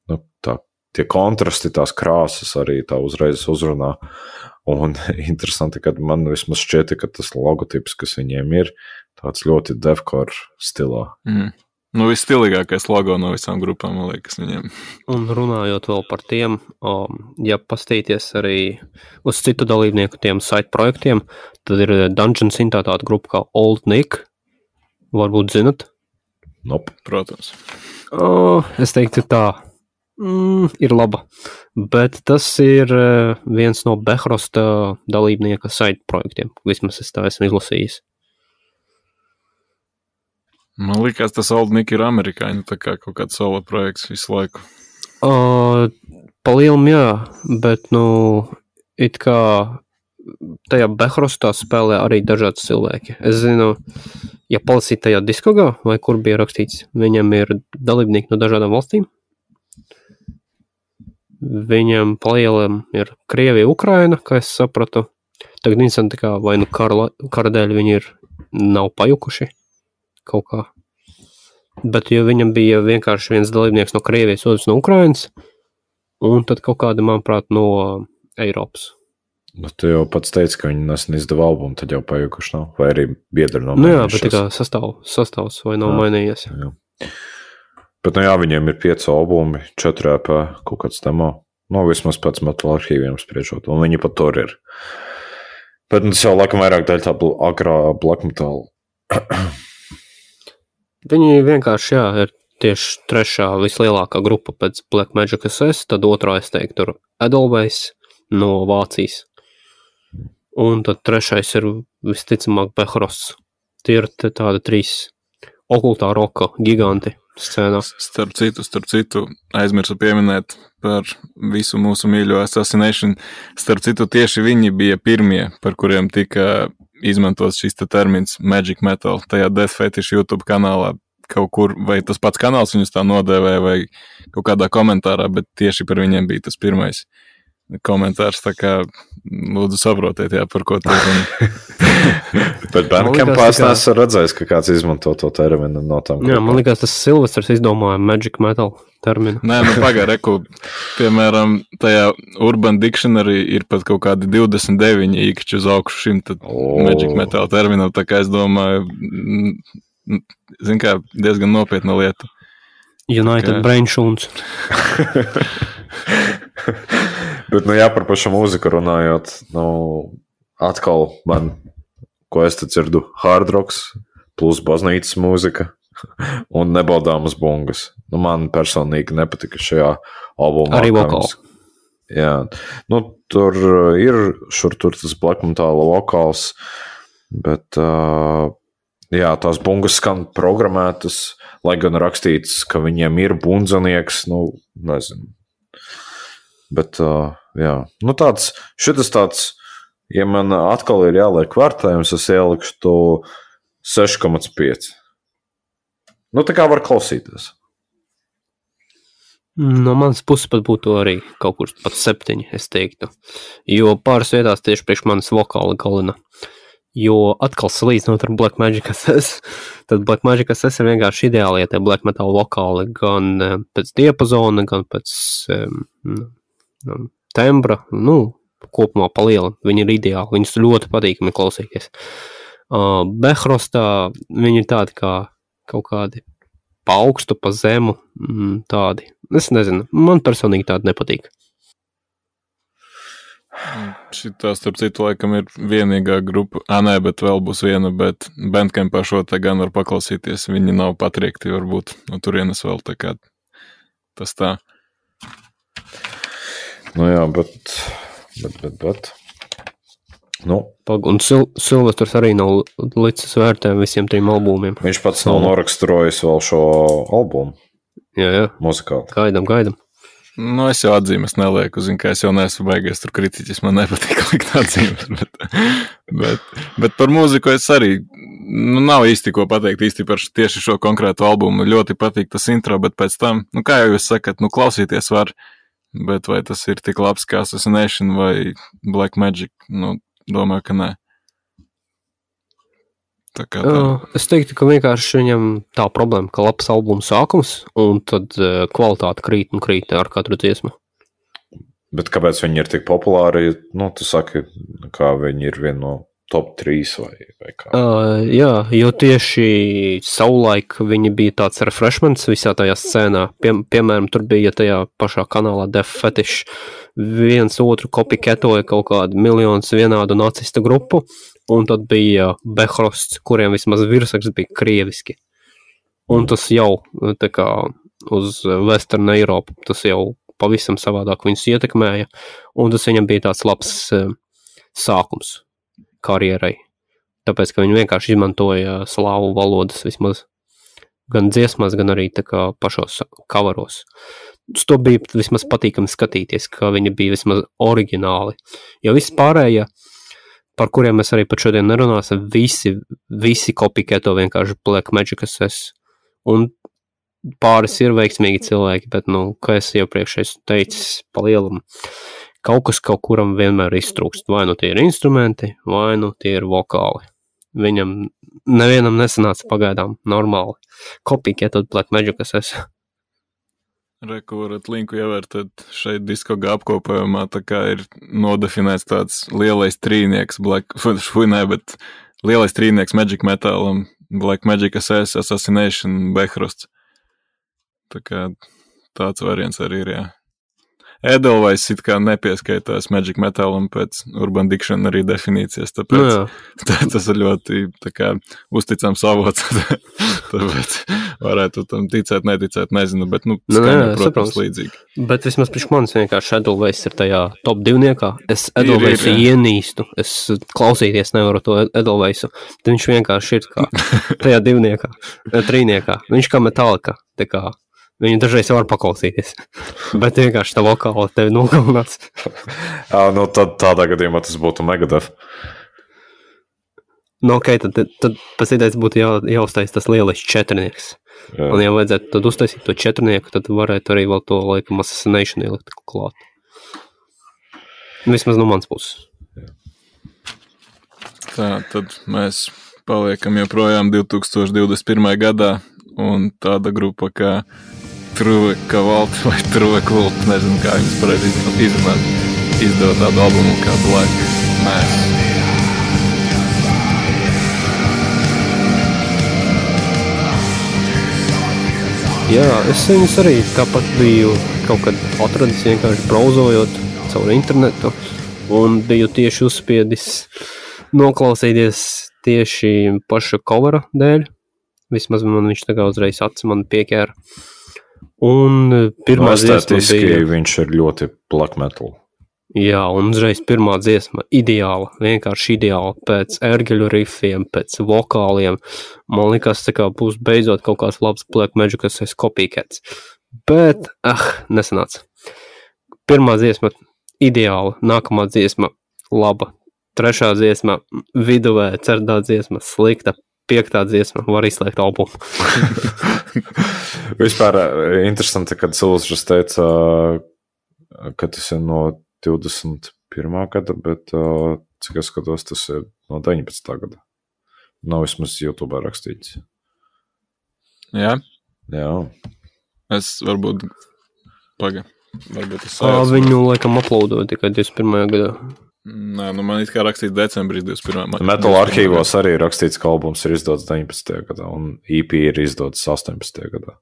tie kontrasti, tās krāsas arī tā uzreiz uzrunā. Un interesanti, kad man vismaz šķiet, ka tas logotips, kas viņiem ir, tāds ļoti devcore stilā. Visstilīgākais logo no visām grupām, man liekas, viņiem. Un runājot vēl par tiem, ja pastīties arī uz citu dalībnieku tiem site projektiem, tad ir Dungeon Synthā tāda grupa kā Old Nick. Varbūt zinat? Nope. Protams. Es teiktu tā, ir laba. Bet tas ir viens no Behrosta dalībnieka site projektiem. Vismaz es tā esmu izlasījis. Man liekas, tas Old Nick ir amerikāņu, tā kā kaut kāds solo projekts visu laiku. Pa lielam jā, bet, it kā tajā Behrostā spēlē arī dažādi cilvēki. Es zinu, ja palasīt tajā diskogā, vai kur bija rakstīts, viņam ir dalībnieki no dažādām valstīm. Viņam pa lielam ir Krievija, Ukraina, kā es sapratu. Tagad interesanti, kā vai kara dēļ viņi nav pajukuši. Kaut kā. Bet jo viņam bija vienkārši viens dalībnieks no Krievijas, otrs no Ukrainas, un tad kaut kāda, manuprāt, no Eiropas. Tu jau pats teici, ka viņi nesen izdeva albumu, tad jau pajukuši nav, vai arī biedri nav mainījušies. Jā, bet tā kā sastāvs vai nav mainījies. Jā. Bet, viņiem ir 5 albumi, 4 EP, kaut kāds demo, vismaz pēc metal arhīviem spriežot, un viņi pat tur ir. Bet tas jau laikam vairāk daļa tā agrā black metal. Viņi vienkārši, ir tieši 3. vislielākā grupa pēc Black Magic SS, tad 2. es teiktu tur Edelweiss no Vācijas. Un tad 3. ir visticamāk Behrosts. Tie ir tādi 3 okultā roka giganti scēnā. Starp citu, aizmirsu pieminēt par visu mūsu mīļo Assassination. Starp citu, tieši viņi bija pirmie, par kuriem tika izmantos šis termins Magic Metal, tajā Death Fetish YouTube kanālā kaut kur, vai tas pats kanāls viņus tā nodēvēja, vai kaut kādā komentārā, bet tieši par viņiem bija tas pirmais. komentārs, tā kā lūdzu saprotiet, jā, par ko tu runi. Bet Bandcampās neesmu redzējis, ka kāds izmanto to terminu no tām. Jā, man liekas, tas Silvestrs izdomāja Magic Metal terminu. Nē, nu pagāju, piemēram, tajā Urban Dictionary ir pat kaut kādi 29 īkšķi uz augšu šim tad Magic Metal terminam, tā kā es domāju, zin kā, diezgan nopietna lieta. United Brain Šūns. Bet, nu jā, par pašu mūziku runājot, nu, atkal man, ko es te dzirdu, hard rocks plus baznīcas mūzika un nebaudāmas bungas. Nu, man personīgi nepatika šajā albumā. Arī vokāls. Jā, nu, tur ir šur tur tas black metal vokāls, bet, jā, tās bungas skan programmētas, lai gan rakstīts, ka viņiem ir bundzanieks, nu, nezinu. Bet, jā, nu šitas tāds, ja man atkal ir jāliek vērtējums, es ielikšu 6,5. Nu, tā kā var klausīties. No manas puses pat būtu arī kaut kur pat 7, es teiktu. Jo pāris vietās tieši priekš manas vokāla galina. Jo atkal salīdzinot ar Black Magic SS, tad Black Magic SS ir vienkārši ideāli, ja tie black metal vokāli gan pēc diapazona, gan pēc tembra, nu, kopumā pa lielam. Viņi ir ideāli, viņus ļoti patīkami klausīties. Behrostā viņi ir tādi kā kaut kādi pa augstu, pa zemu, tādi. Es nezinu, man personīgi tādi nepatīk. Šitā, starp citu, laikam ir vienīgā grupa, nē, bet vēl būs viena, bet Bandcampā šo te gan var paklausīties, viņi nav patriekti, varbūt no turienes vēl tā kā tas tā. Nu jā, bet. Nu. Un Silvestrs arī nav licis vērtējumu visiem 3 albumiem. Viņš pats nav noraksturojis vēl šo albumu. Jā. Muzikāli. Gaidam. Nu, es jau atzīmes nelieku, zinu, ka es jau neesmu baigies tur kritiķis, man nepatīk likt atzīmes, bet par mūziku es arī, nu, nav īsti ko pateikt īsti par tieši šo konkrētu albumu, ļoti patīk tas intro, bet pēc tam, nu, kā jau jūs sakat, nu, klausīties var, bet vai tas ir tik labs kā Assassination vai Black Magic, nu, domāju, ka nē. Es teiktu, ka vienkārši viņam tā problēma, ka labs albuma sākums, un tad kvalitāte krīt ar katru dziesmu. Bet kāpēc viņi ir tik populāri? Nu, tu saki, kā viņi ir viena no top 3 vai kā? Jā, jo tieši savulaik viņi bija tāds refreshments visā tajā scēnā. Piemēram, tur bija tajā pašā kanālā Death Fetish viens otru kopiketoja kaut kādu miljonus vienādu nacista grupu, un tad bija Behrosts, kuriem vismaz virsraksts bija krieviski. Un tas jau, tā kā uz Western Eiropu, tas jau pavisam savādāk viņus ietekmēja, un tas viņam bija tāds labs sākums karjerai. Tāpēc, ka viņi vienkārši izmantoja slāvu valodas vismaz gan dziesmās, gan arī tā kā pašos coveros. Uz to bija vismaz patīkami skatīties, ka viņi bija vismaz oriģināli. Jo viss pārējie, par kuriem mēs arī pat šodien nerunāsim, visi kopiketo vienkārši Black Magic SS. Un pāris ir veiksmīgi cilvēki, bet, nu, kā es iepriekš teicis, pa lielam, kaut kas kaut kuram vienmēr iztrūkst. Vai nu tie ir instrumenti, vai nu tie ir vokāli. Viņam nevienam nesanāca pagaidām normāli. Kopiketot Black Magic SS. Reku varat linku ievērtēt šeit diskogā apkopējumā, tā kā ir nodefinēts tāds lielais trīnieks bet lielais trīnieks Magic Metalam, Black Magic SS, Assassination, Behrosts. Tā kā tāds variants arī ir, jā. Edelweiss it kā nepieskaitās Magic Metalam pēc Urban Dictionary definīcijas, tāpēc tas ir ļoti tā kā uzticams avots, tāpēc varētu tam ticēt, neticēt, nezinu, bet, nu, skaņa, protams, līdzīgi. Bet vismaz priekš manis vienkārši Edelweiss ir tajā top 2. Es Edelweissu ienīstu, es klausīties nevaru to Edelweissu, tad viņš vienkārši ir kā tajā 2, 3. Viņš kā Metallica, tā kā viņu dažreiz var paklausīties, bet vienkārši tā vokāla tevi nogalinās. Nu, tad tādā gadījumā tas būtu Megadeth. Nu, ok, tad pēc idejas būtu jāuztais tas lielais 4. Jā. Un ja vajadzētu tad uztaisīt to 4, tad varētu arī vēl to, laikam, Assassination ielikt klāt. Vismaz no mans puses. Tā, tad mēs paliekam joprojām 2021. gadā, un tāda grupa kā True Cavalt vai True Cult, nezinu, kā viņas pareizi izrunāt, izdeva tādu albumu kā Black Mass. Jā, es viņus arī tāpat biju kaut kad atradis vienkārši brauzojot caur internetu un biju tieši uzspiedis noklausīties tieši paša covera dēļ. Vismaz man viņš tā kā uzreiz acis man pieķēra. Un pirmā dziesma bija... viņš ir ļoti black metal. Jā, un uzreiz pirmā dziesma ideāla, vienkārši ideāla, pēc ērgeļu rifiem, pēc vokāliem. Man likās, tā kā būs beidzot kaut kāds labs Black Magic, kas ir copycats. Bet, nesanāca. Pirmā dziesma ideāla, nākamā dziesma laba, trešā dziesma viduvē, ceturtā dziesma slikta, piektā dziesma var izslēgt albumu. Vispār interesanti, kad Silvestrs teica, ka tas ir no 21. gada, bet cik es skatos, tas ir no 19. gada. Nav vismaz YouTube rakstīts. Jā? Jā. Es varbūt es Viņu laikam uploadoja tikai 21. gadā. Nē, nu man it kā rakstīts decembrī 21. Metal arhīvos arī rakstīts, ka albums ir izdots 19. gadā, un EP ir izdots 18. gadā.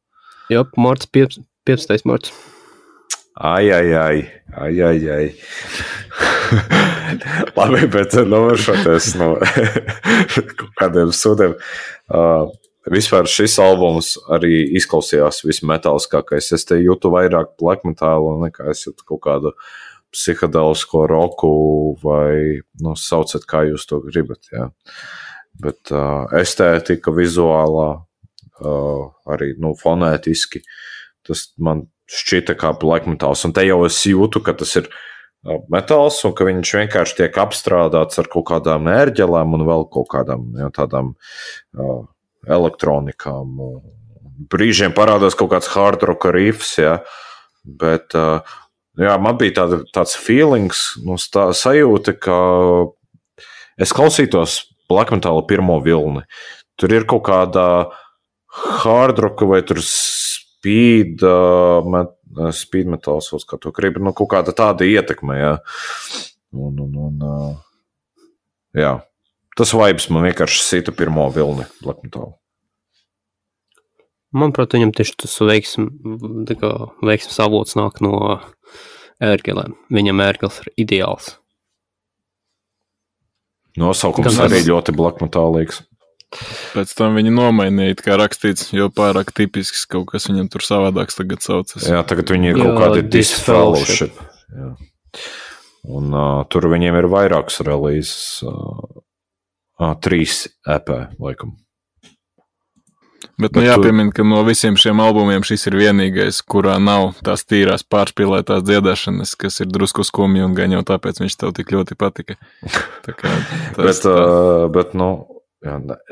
Jā, 15. marts. Ai. Labi, bet novēršoties no kaut kādiem sūdiem. Vispār šis albums arī izklausījās vismetāliskākais. Es te jūtu vairāk black metalu, nekā es jūtu kaut kādu psihedelisko roku vai, sauciet, kā jūs to gribat, jā. Bet estētika, vizuālā, arī, fonētiski, tas man šķita kā black metāls, un te jau es jūtu, ka tas ir metāls, un ka viņš vienkārši tiek apstrādāts ar kaut kādām ērģelēm un vēl kaut kādām tādām elektronikām. Brīžiem parādās kaut kāds hard rock riffs, ja, bet man bija tāds feelings, sajūta, ka es klausītos black metāla pirmo vilni. Tur ir kaut kādā hard rock vai tur speed metāls, kā to grib, kaut kāda tāda ietekme, jā. Jā, tas vibes man vienkārši sita pirmo vilni black metālu. Manuprāt, viņam tieši tas veiksmes avots nāk no ērgelēm. Viņam ērgels ir ideāls. Nosaukums arī ļoti black metālīgs. Pēc tam viņi nomainīja, kā rakstīts, jo pārāk tipisks kaut kas viņam tur savādāks tagad saucas. Jā, tagad viņi ir kaut kādi disfellowship. Jā. Un tur viņiem ir vairākas releases. 3 EP, laikam. Bet jāpiemina, ka no visiem šiem albumiem šis ir vienīgais, kurā nav tās tīrās pārspīlētās dziedāšanas, kas ir drusku skumji un gan jau tāpēc viņš tev tik ļoti patika. Tā kā bet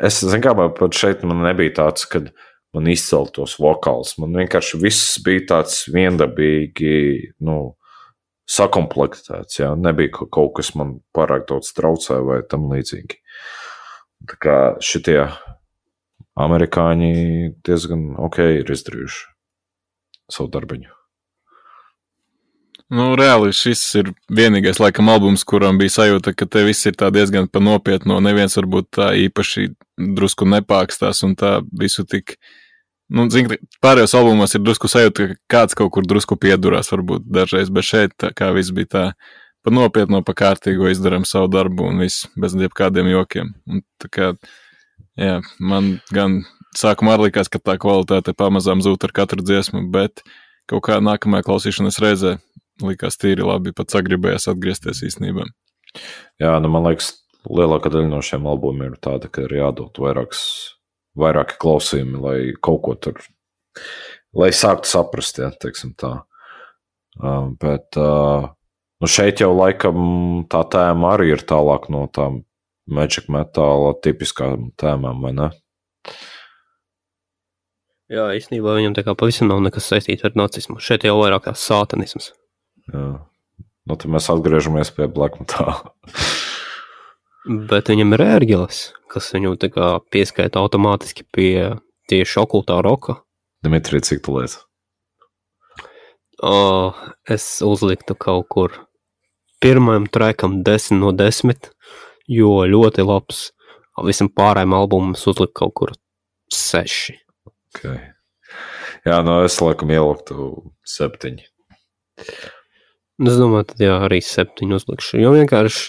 es zinu, kā pat šeit man nebija tāds, kad man izceltos vokāls. Man vienkārši viss bija tāds viendabīgi, sakomplektēts, jā. Nebija kaut kas man pārāk daudz traucē vai tam līdzīgi. Tā kā šitie amerikāņi diezgan ir izdarījuši savu darbiņu. Reāli šis ir vienīgais laikam albums, kuram bija sajūta, ka te viss ir tā diezgan pa nopietno, neviens varbūt tā īpaši drusku nepākstās un tā visu tik, pārējos albumos ir drusku sajūta, ka kāds kaut kur drusku piedurās varbūt dažreiz, bet šeit tā kā viss bija tā pa nopietno, pa kārtīgo izdaram savu darbu un viss bez jebkādiem jokiem. Un tā kā, jā, man gan sākumā arī likās, ka tā kvalitāte pamazām zūt ar katru dziesmu, bet kaut kā nākamajā klausīšanas reizē likās tīri labi, pat sagribējās atgriezties īstenībā. Jā, man liekas, lielākā daļa no šiem albumiem ir tāda, ka ir jādod vairāki klausījumi, lai kaut ko tur, lai sāktu saprast, ja, teiksim tā. Bet šeit jau laikam tā tēma arī ir tālāk no tām Magic Metāla tipiskām tēmām, vai ne? Jā, īstenībā viņam tā kā pavisam nav nekas saistīts ar nacismu. Šeit jau vairāk tās sātanisms. Jā. Nu, tad mēs atgriežamies pie Black Metal. Bet viņam ir ērģeles, kas viņu tā kā pieskaita automātiski pie tieši okultā roka. Dimitri, cik tu liec? Es uzliktu kaut kur pirmajam trackam 10 no 10, jo ļoti labs. Visam pārējiem albumam es uzliku kaut kur 6. Okay. Jā, no es laikam ieliktu 7. Es domāju, tad jā, arī 7 uzlikšu, jo vienkārši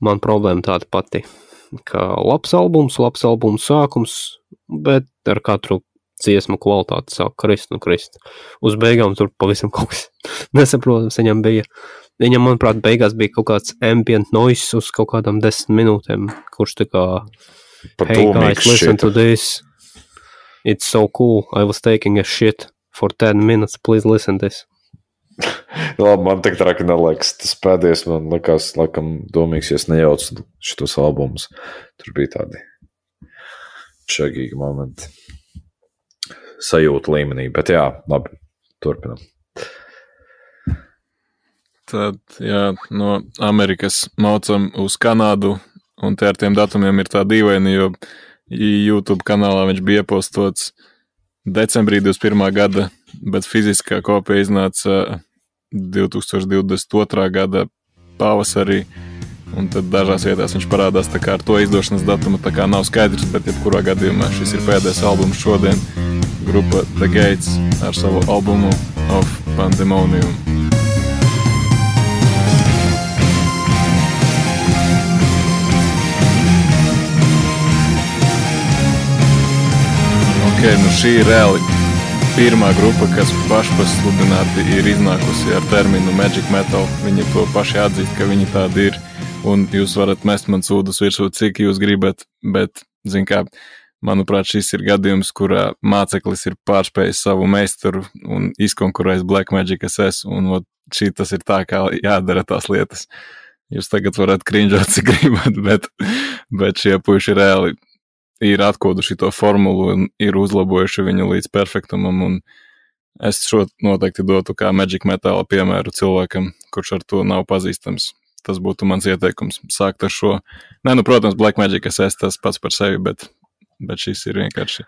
man problēma tāda pati, ka labs albums sākums, bet ar katru dziesmu kvalitāti sāk krist. Uz beigām tur pavisam kaut kas nesaprotams viņam bija. Viņam, manuprāt, beigās bija kaut kāds ambient noise uz kaut kādām 10 minūtēm, kurš tā kā, hey guys, listen to this. It's so cool. I was taking a shit for 10 minutes. Please listen this. Labi, man tik traki neliekas. Tas pēdējais man likās, laikam, domīgs, ja es nejaucu šitos albumus. Tur bija tādi čagīgi momenti. Sajūta līmenī, bet jā, labi, turpinam. Tad, jā, no Amerikas maucam uz Kanādu, un te ar tiem datumiem ir tā dīvaini, jo YouTube kanālā viņš bija iepostots decembrī 21. gada, bet fiziskā kopija iznāca 2022. gada pavasarī, un tad dažās vietās viņš parādās tā kā ar to izdošanas datumu, tā kā nav skaidrs, bet jebkurā gadījumā šis ir pēdējais albums šodien, grupa The Gates ar savu albumu Of Pandemonium. Nu šī ir reāli pirmā grupa, kas pašpasludināti ir iznākusi ar terminu Magic Metal. Viņi to paši atzīst, ka viņi tādi ir, un jūs varat mest man sūdus virsū, cik jūs gribat, bet, zin kā, manuprāt, šis ir gadījums, kurā māceklis ir pārspējis savu meistaru un izkonkurējis Black Magic SS, un šī tas ir tā, kā jādara tās lietas. Jūs tagad varat krinžot, cik gribat, bet šie puiši reāli ir atkoduši to formulu un ir uzlabojuši viņu līdz perfektumam, un es šo noteikti dotu kā Magic Metal piemēru cilvēkam, kurš ar to nav pazīstams. Tas būtu mans ieteikums, sākt ar šo. Nē, nu, protams, Black Magic SS tas pats par sevi, bet šis ir vienkārši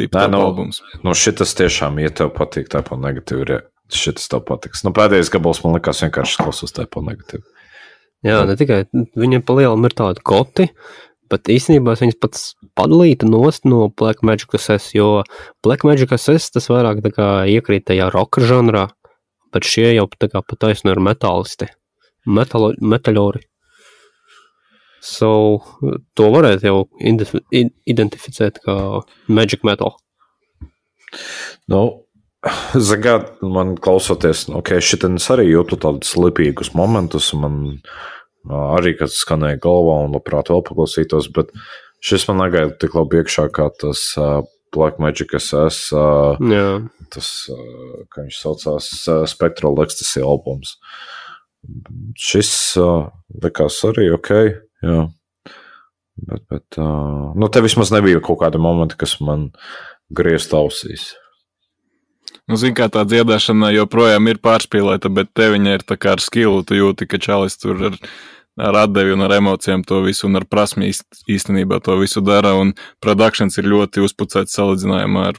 tipa top albums. Nu, šitas tiešām, ja tev patīk tāpa negatīvi, šitas tev patiks. Nu, pēdējais gabals man likās vienkārši klausos tāpa negatīvi. Jā, ne tikai, viņiem pa lielam ir tādi goti, bet īstenībā es viņas pats padalītu nost no Black Magic SS, jo Black Magic SS tas vairāk tā kā iekrīt tajā roka žanrā, bet šie jau tā kā pataisno ir metālisti, metaļori. So, to varētu jau identificēt kā Magic Metal. Nu, zagāt, man klausoties, šitienes arī jūtu tādus lipīgus momentus, man arī, kad skanēja galvā un labprāt vēl paklausītos, bet šis man negaida tik labi iekšā kā tas Black Magic SS, tas, kā viņš saucās, Spectral Ecstasy albums. Šis likās arī ok, jā. Bet nu, te vismaz nebija kaut kādi momenti, kas man griezt ausīs. Nu, zin kā tā dziedāšana joprojām ir pārspīlēta, bet te viņa ir tā kā ar skilu, tu jūti, ka čalis tur ar atdevi un ar emocijām to visu un ar prasmi īstenībā to visu dara, un productions ir ļoti uzpucēts salīdzinājumā ar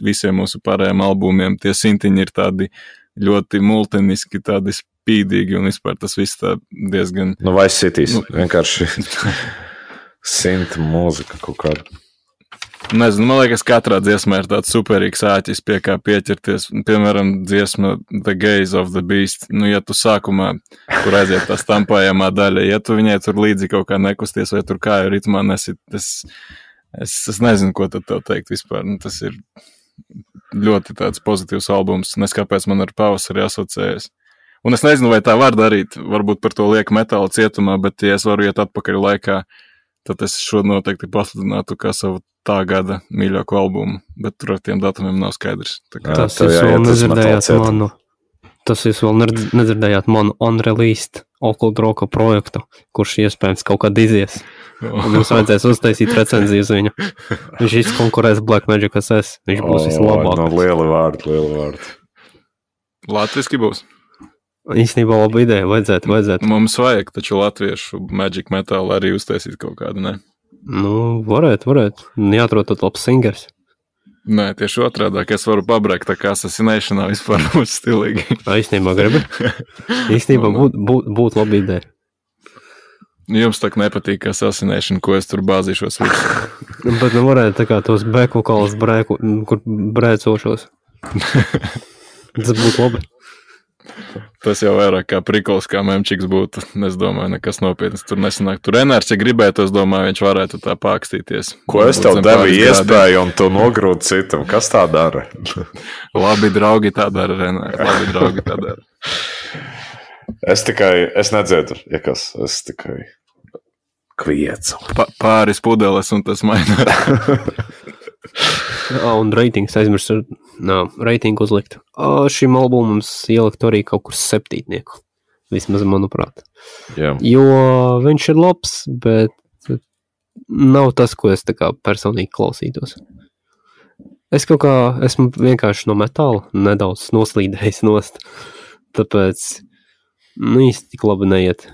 visiem mūsu pārējiem albumiem. Tie sintiņi ir tādi ļoti multiniski, tādi spīdīgi, un vispār tas viss tā diezgan... Nu, Vice Cities, vienkārši sinta mūzika kaut kāda. Nezinu, man liekas, katrā dziesmā ir tāds superīgs āķis, pie kā pieķerties. Piemēram, dziesma The Gaze of the Beast. Nu, ja tu sākumā, kur aiziet tā stampājamā daļa, ja tu viņai tur līdzi kaut kā nekusties vai tur kāju ritmā nesit, es nezinu, ko tad tev teikt vispār. Nu, tas ir ļoti tāds pozitīvs albums. Neskāpēc man ar pavasari asociējas. Un es nezinu, vai tā var darīt. Varbūt par to liek metāla cietumā, bet ja es varu iet atpakaļ laikā, tad es šo noteikti pasludinātu kā savu tā gada mīļāko albumu, bet tur ar tiem datumiem nav skaidrs. Tas jūs vēl nedzirdējāt manu unreleased Occult Rocka projektu, kurš iespējams kaut kad izies. Un jums vajadzēs uztaisīt recenziju uz viņu. Viņš izkonkurēs Black Magic SS. Viņš būs vislabākais. No lieli vārdi. Latviski būs? Īstenībā laba ideja, vajadzētu. Mums vajag taču latviešu Magic Metal arī uztaisīt kaut kādu, ne? Nu, varētu. Jāatrod tad labs singers. Nē, tieši otrādāk, es varu pabrēkt tā kā Assassinationā vispār būs stilīgi. Īstenībā gribi? Īstenībā būtu laba ideja. Jums tā nepatīk Assassination, ko es tur bāzīšos visu. Bet nu varētu tā kā tos bēkvokālus kur brēcošos. Tas būtu labi. Tas jau vairāk kā prikols, kā memčiks būtu. Es domāju, nekas nopietnas tur nesanāk. Tur Renārs, ja gribētu, es domāju, viņš varētu tā pākstīties. Ko es tev devu iespēju un tu nogrūti citam? Kas tā dara? Labi draugi tā dara, Renārs. Labi draugi tā dara. Es nedzēdu, ja kas. Es tikai kviecu. Pāris pudeles un tas mainās. Un reitings aizmirst reitingu uzlikt. Šim albumam mums ielikt arī kaut kur 7. Vismaz, manuprāt. Jā. Jo viņš ir labs, bet nav tas, ko es tā kā personīgi klausītos. Es kaut kā esmu vienkārši no metāla nedaudz noslīdējis nost. Tāpēc īsti tik labi neiet.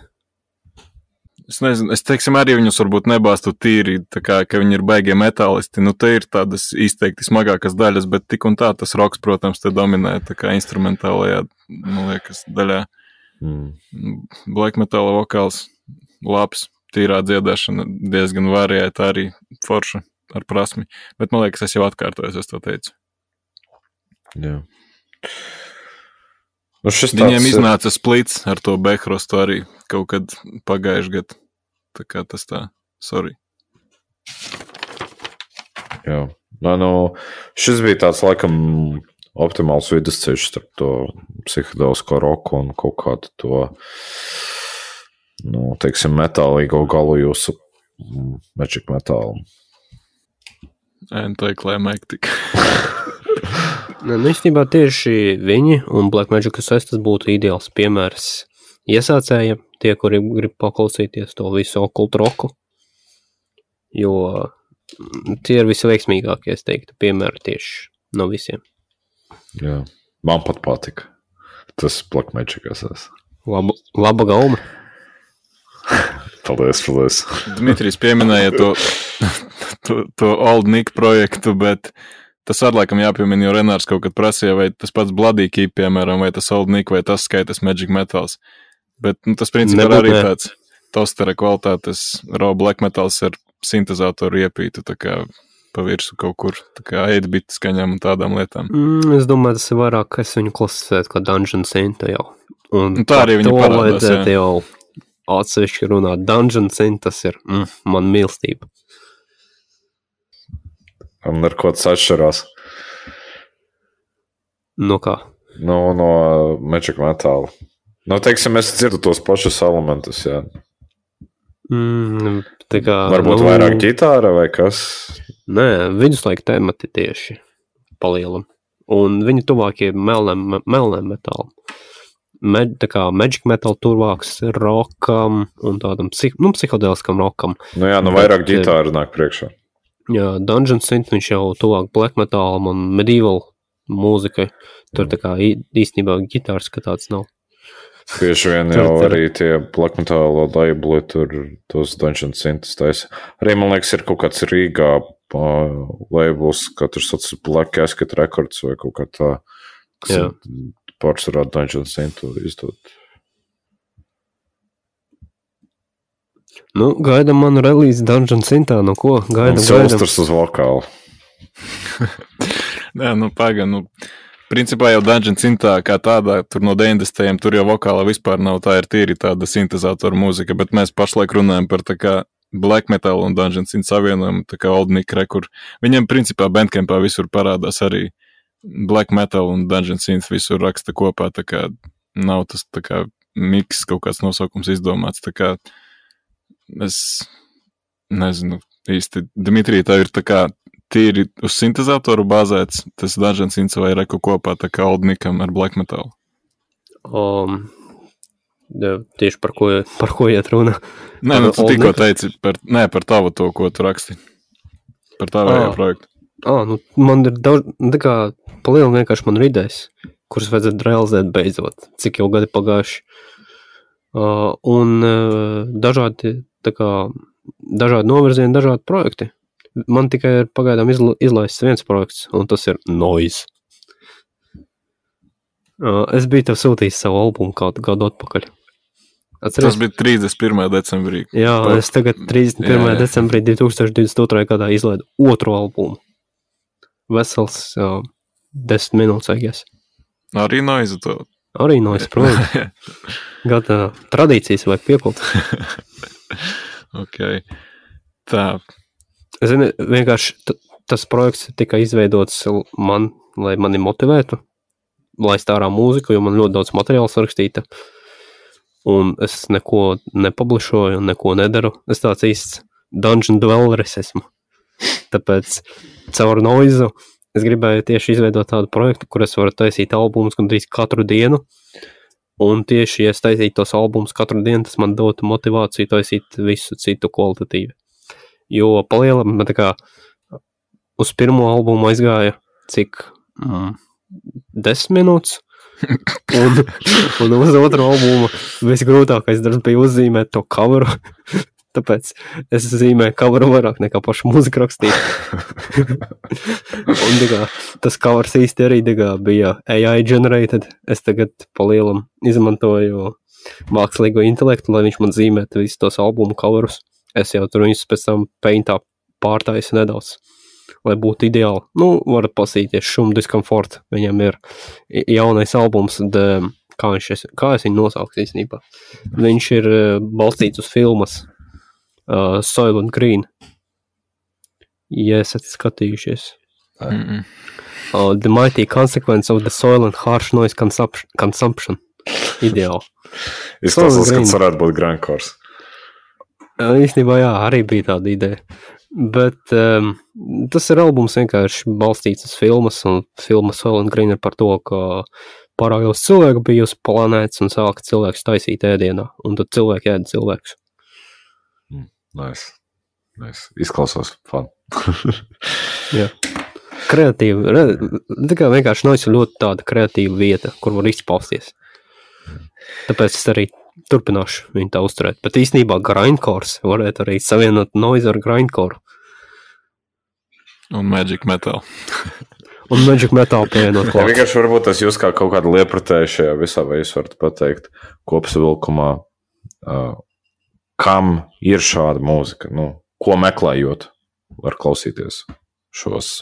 Es nezinu, teiksim, arī viņus varbūt nebāstu tīri, tā kā, ka viņi ir baigie metālisti. Nu, te ir tādas izteikti smagākas daļas, bet tik un tā tas roks, protams, te dominē, tā kā instrumentālajā, man liekas, daļā. Black metāla vokāls, labs, tīrā dziedāšana, diezgan variēta arī forša ar prasmi. Bet man liekas, es jau atkārtojos, es to teicu. Jā. Viņiem iznāca splits ar to Behrostu arī kaut kad pagājuši gadu. Tā kā tas tā, sorry. Jā. Šis bija tāds laikam optimāls vidusceļš starp to psihedelisko roku un kaut kādu to, teiksim, metālīgo galu jūsu Magic Metal. Anticlimactic. Īstenībā tieši viņi un Black Magic Assess tas būtu ideāls piemērs iesācējiem, tie, kuri grib paklausīties to visu okult roku, jo tie ir visveiksmīgākie, es teiktu, piemēri tieši no visiem. Jā, man pat patika tas Black Magic Assess. Laba gauma. Paldies. Dmitrijs pieminēja to Old Nick projektu, bet tas ar laikam jāpiemina, jo Renārs kaut kad prasīja, vai tas pats Bloody Keep, piemēram, vai tas Old Nick, vai tas skaitas Magic Metals. Bet tas principā ir arī tāds tostera kvalitātes raw black metals ar sintezātoru iepītu, tā kā pa virsu kaut kur, tā kā 8-bit skaņām un tādām lietām. Es domāju, tas ir vairāk, ka es viņu klasifētu kā Dungeon Synth jau. Un tā arī viņa parādās, jā. Jau atsevišķi runāt. Dungeon Synth, tas ir man mīlestība. Un ar ko tas atšķirās? No kā? No Magic Metal. Teiksim, es dzirdu tos pašus elementus, jā. Tā kā, varbūt vairāk ģitāra vai kas? Nē, viduslaika temati tieši palielam. Un viņi tuvākie melnēm metālam. Tā kā Magic Metal tuvāks rockam un tādam psihodeliskam rockam. Vairāk ģitāra nāk priekšā. Jā, Dungeon Synth viņš jau tuvāk black metalam un medieval mūzikai. Tur tā kā īstenībā ģitārs, ka tāds nav. Bieži vien jau arī tie black metal labeli tur tos Dungeon Synths taisa. Arī, man liekas, ir kaut kāds Rīgā labels, katrs sauc Black Casket Records vai kaut kā tā, kas pārsvarā Dungeon Synths izdod. Gaidam manu relīzi Dungeon Synthā, ko? Gaidam. Silsters uz vokālu. Nē, pagaidām, principā jau Dungeon Synthā kā tādā, tur no 90. tur jau vokāla vispār nav, tā ir tīri tāda sintezātora mūzika, bet mēs pašlaik runājam par tā kā Black Metal un Dungeon Synth savienojumu, tā kā Old Nick Rekur. Viņam principā Bandcampā visur parādās arī Black Metal un Dungeon Synth visur raksta kopā, tā kā nav tas tā kā miks kaut kāds nosaukums izdomāts, tā kā es nezinu īsti. Dmitrij, tā ir tā kā tīri uz sintezātoru bāzēts, tas Dungeon Synth vai Reku kopā, tā kā Old Nickam ar Black Metal. Tieši par ko iet runa? Nē, tu tikko teici par tavu to, ko tu raksti. Par tavu projektu. Man ir daudz, tā kā palielam vienkārši man ir idejas. kuras vajadzētu realizēt beidzot, cik jau gadi pagājuši. Un dažādi novirzieni, dažādi projekti. Man tikai ir pagaidām izlaists viens projekts, un tas ir Noise. Es biju tev sūtījis savu albumu gadu atpakaļ. Atceries? Tas bija 31. decembrī. Jā, es tagad 31. decembrī 2022. gadā izlaidu otru albumu. Vesels 10 minūtes, I guess. Arī Noise to. Arī Noise, protams. Gada tradīcijas vajag piekult. Ok. Tā. Zini, vienkārši tas projekts tika izveidots man, lai mani motivētu, laist ārā mūziku, jo man ļoti daudz materiāls rakstīta. Un es neko nepublišoju un neko nedaru. Es tāds īsts dungeon dwelleris esmu. Tāpēc caur Noizu es gribēju tieši izveidot tādu projektu, kur es varu taisīt albumus gandrīz katru dienu. Un tieši, ja es taisītu tos albumus katru dienu, tas man dotu motivāciju taisīt visu citu kvalitatīvi. Jo palielam, man tā kā uz pirmo albumu aizgāja cik 10 minūtes. Un uz otru albumu visgrūtākais darbs bija uzzīmēt to coveru. Tāpēc es zīmēju coveru vairāk nekā pašu mūziku rakstīt. Un tas covers īsti arī bija AI generated. Es tagad palielam izmantoju mākslīgo intelektu, lai viņš man zīmētu visus tos albumu coverus. Es jau tur viņus pēc tam paintā pārtaisu nedaudz, lai būtu ideāli. Nu, varat pasīties Šum Discomfort. Viņam ir jaunais albums, kā es viņu nosaucu īstenībā. Viņš ir balstīts uz filmas Soylent Green. Ja esat skatījušies. The Mighty Consequence of the Soil and Harsh Noise Consumption. Ideāli. Izklausās, ka tas varētu būt grindcore. Īstenībā jā, arī bija tāda ideja. Bet tas ir albums vienkārši balstīts uz filmas, un filma Soylent Green ir par to, ka pārāk daudz cilvēku bija uz planētas un sāka cilvēks taisīt ēdienā, un tad cilvēki ēda cilvēkus. Nice. Izklausās fun. Jā. Kreatīva. Tā kā vienkārši Noise ir ļoti tāda kreatīva vieta, kur var izpausties. Tāpēc es arī turpināšu viņu tā uzturēt. Bet īstenībā grindcore varētu arī savienot Noise ar grindcore. Un Magic Metal. Un Magic Metal pievienot klāt. Ja vienkārši varbūt tas jūs kā kaut kāda liepratēja šajā visā, vai jūs varat pateikt kopsavilkumā, kam ir šāda mūzika, ko meklējot, var klausīties šos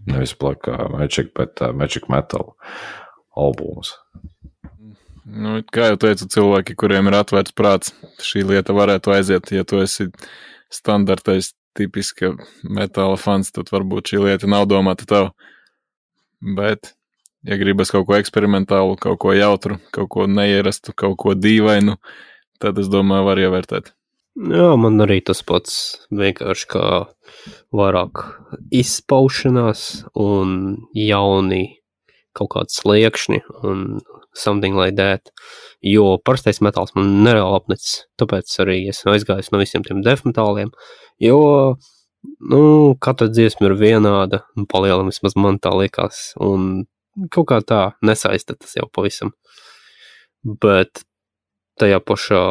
nevis Magic, bet Magic Metal albumus. Kā jau teicu, cilvēki, kuriem ir atvērts prāts, šī lieta varētu aiziet. Ja tu esi standartais, tipiska metāla fans, tad varbūt šī lieta nav domāta tev. Bet, ja gribas kaut ko eksperimentālu, kaut ko jautru, kaut ko neierastu, kaut ko dīvainu, tad es domāju, var ievērtēt. Jā, man arī tas pats vienkārši kā vairāk izpaušanās un jauni kaut kāds sliekšņi un something like that, jo parastais metāls man nereāli apnicis, tāpēc arī esmu aizgājis no visiem tiem death metāliem, jo, katra dziesma ir vienāda, un palielam vismaz man tā liekas, un kaut kā tā nesaista tas jau pavisam, bet tajā pašā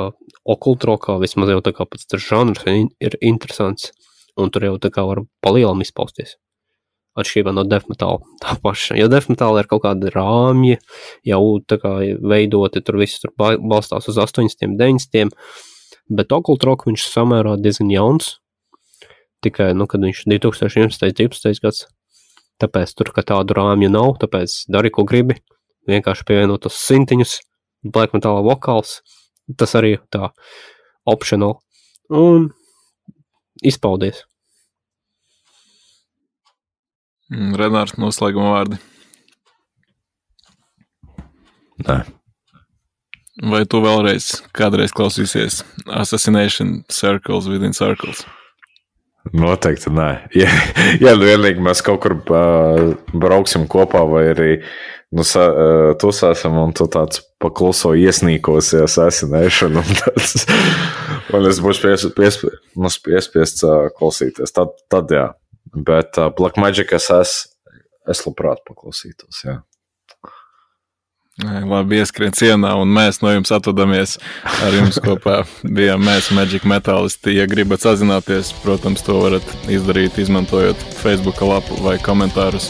okultrokā vismaz jau tā kā pats tas žanrs ir interesants, un tur jau tā kā var palielam izpausties. Atšķirībā no death metāla tā paša. Jo death metāla ir kaut kāda rāmja, jau tā kā veidoti, tur viss tur balstās uz 80, 90, bet occult rock viņš samērā diezgan jauns, tikai, kad viņš 2011, 12 gads, tāpēc tur, ka tādu rāmju nav, tāpēc dari, ko gribi, vienkārši pievienot tos sintiņus, black metāla vokāls, tas arī tā optional, un izpaudies. Renārs, noslēguma vārdi. Nē. Vai tu kādreiz klausīsies Assassination Circles Within Circles? Noteikti nē. Ja vienīgi mēs kaut kur brauksim kopā vai arī tusāsim un tu tāds pakluso iesnīkosies Assassination un es būšu piespiests klausīties. Tad jā. Bet Black Magic es labprāt paklausītos, jā. Labi, ieskrien cienā, un mēs no jums atvadamies. Ar jums kopā bijām mēs, Magic Metālisti. Ja gribat sazināties, protams, to varat izdarīt, izmantojot Facebook lapu vai komentārus.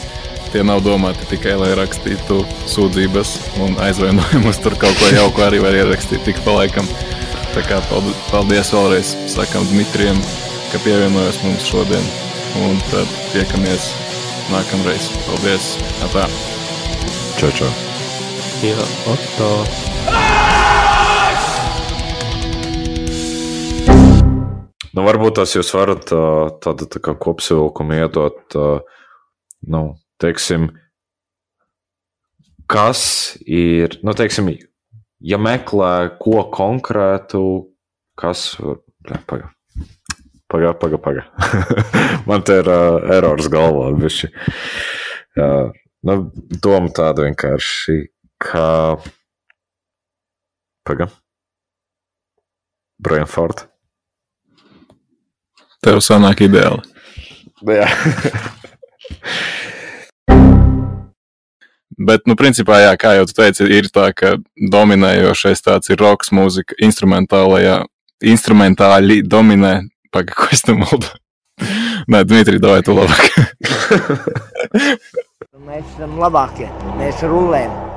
Tie nav domāti tikai, lai rakstītu sūdzības un aizvainojumus. Tur kaut ko jauku arī var ierakstīt tik pa laikam. Tā kā paldies vēlreiz, sakam Dmitrijam, ka pievienojos mums šodien. Un tad tiekamies nākamreiz. Paldies! Atā! Čau! Jā, atā. Nu, varbūt tas jūs varat tādu tā kā kopsavilkumu iedot, teiksim, kas ir, teiksim, ja meklē ko konkrētu, kas, paga. Man te ir erors galvā, bišķi. Doma tāda vienkārši, ka... Brian Ford. Tev sanāk ideāli. Jā. Bet, principā, jā, kā jau tu teici, ir tā, ka dominējošais tāds ir rokas mūzika, instrumentāli dominē. Paga, ko es te muldu? Nē, Dmitri, davai tu labāk. Mēs esam labākie, mēs rulējam.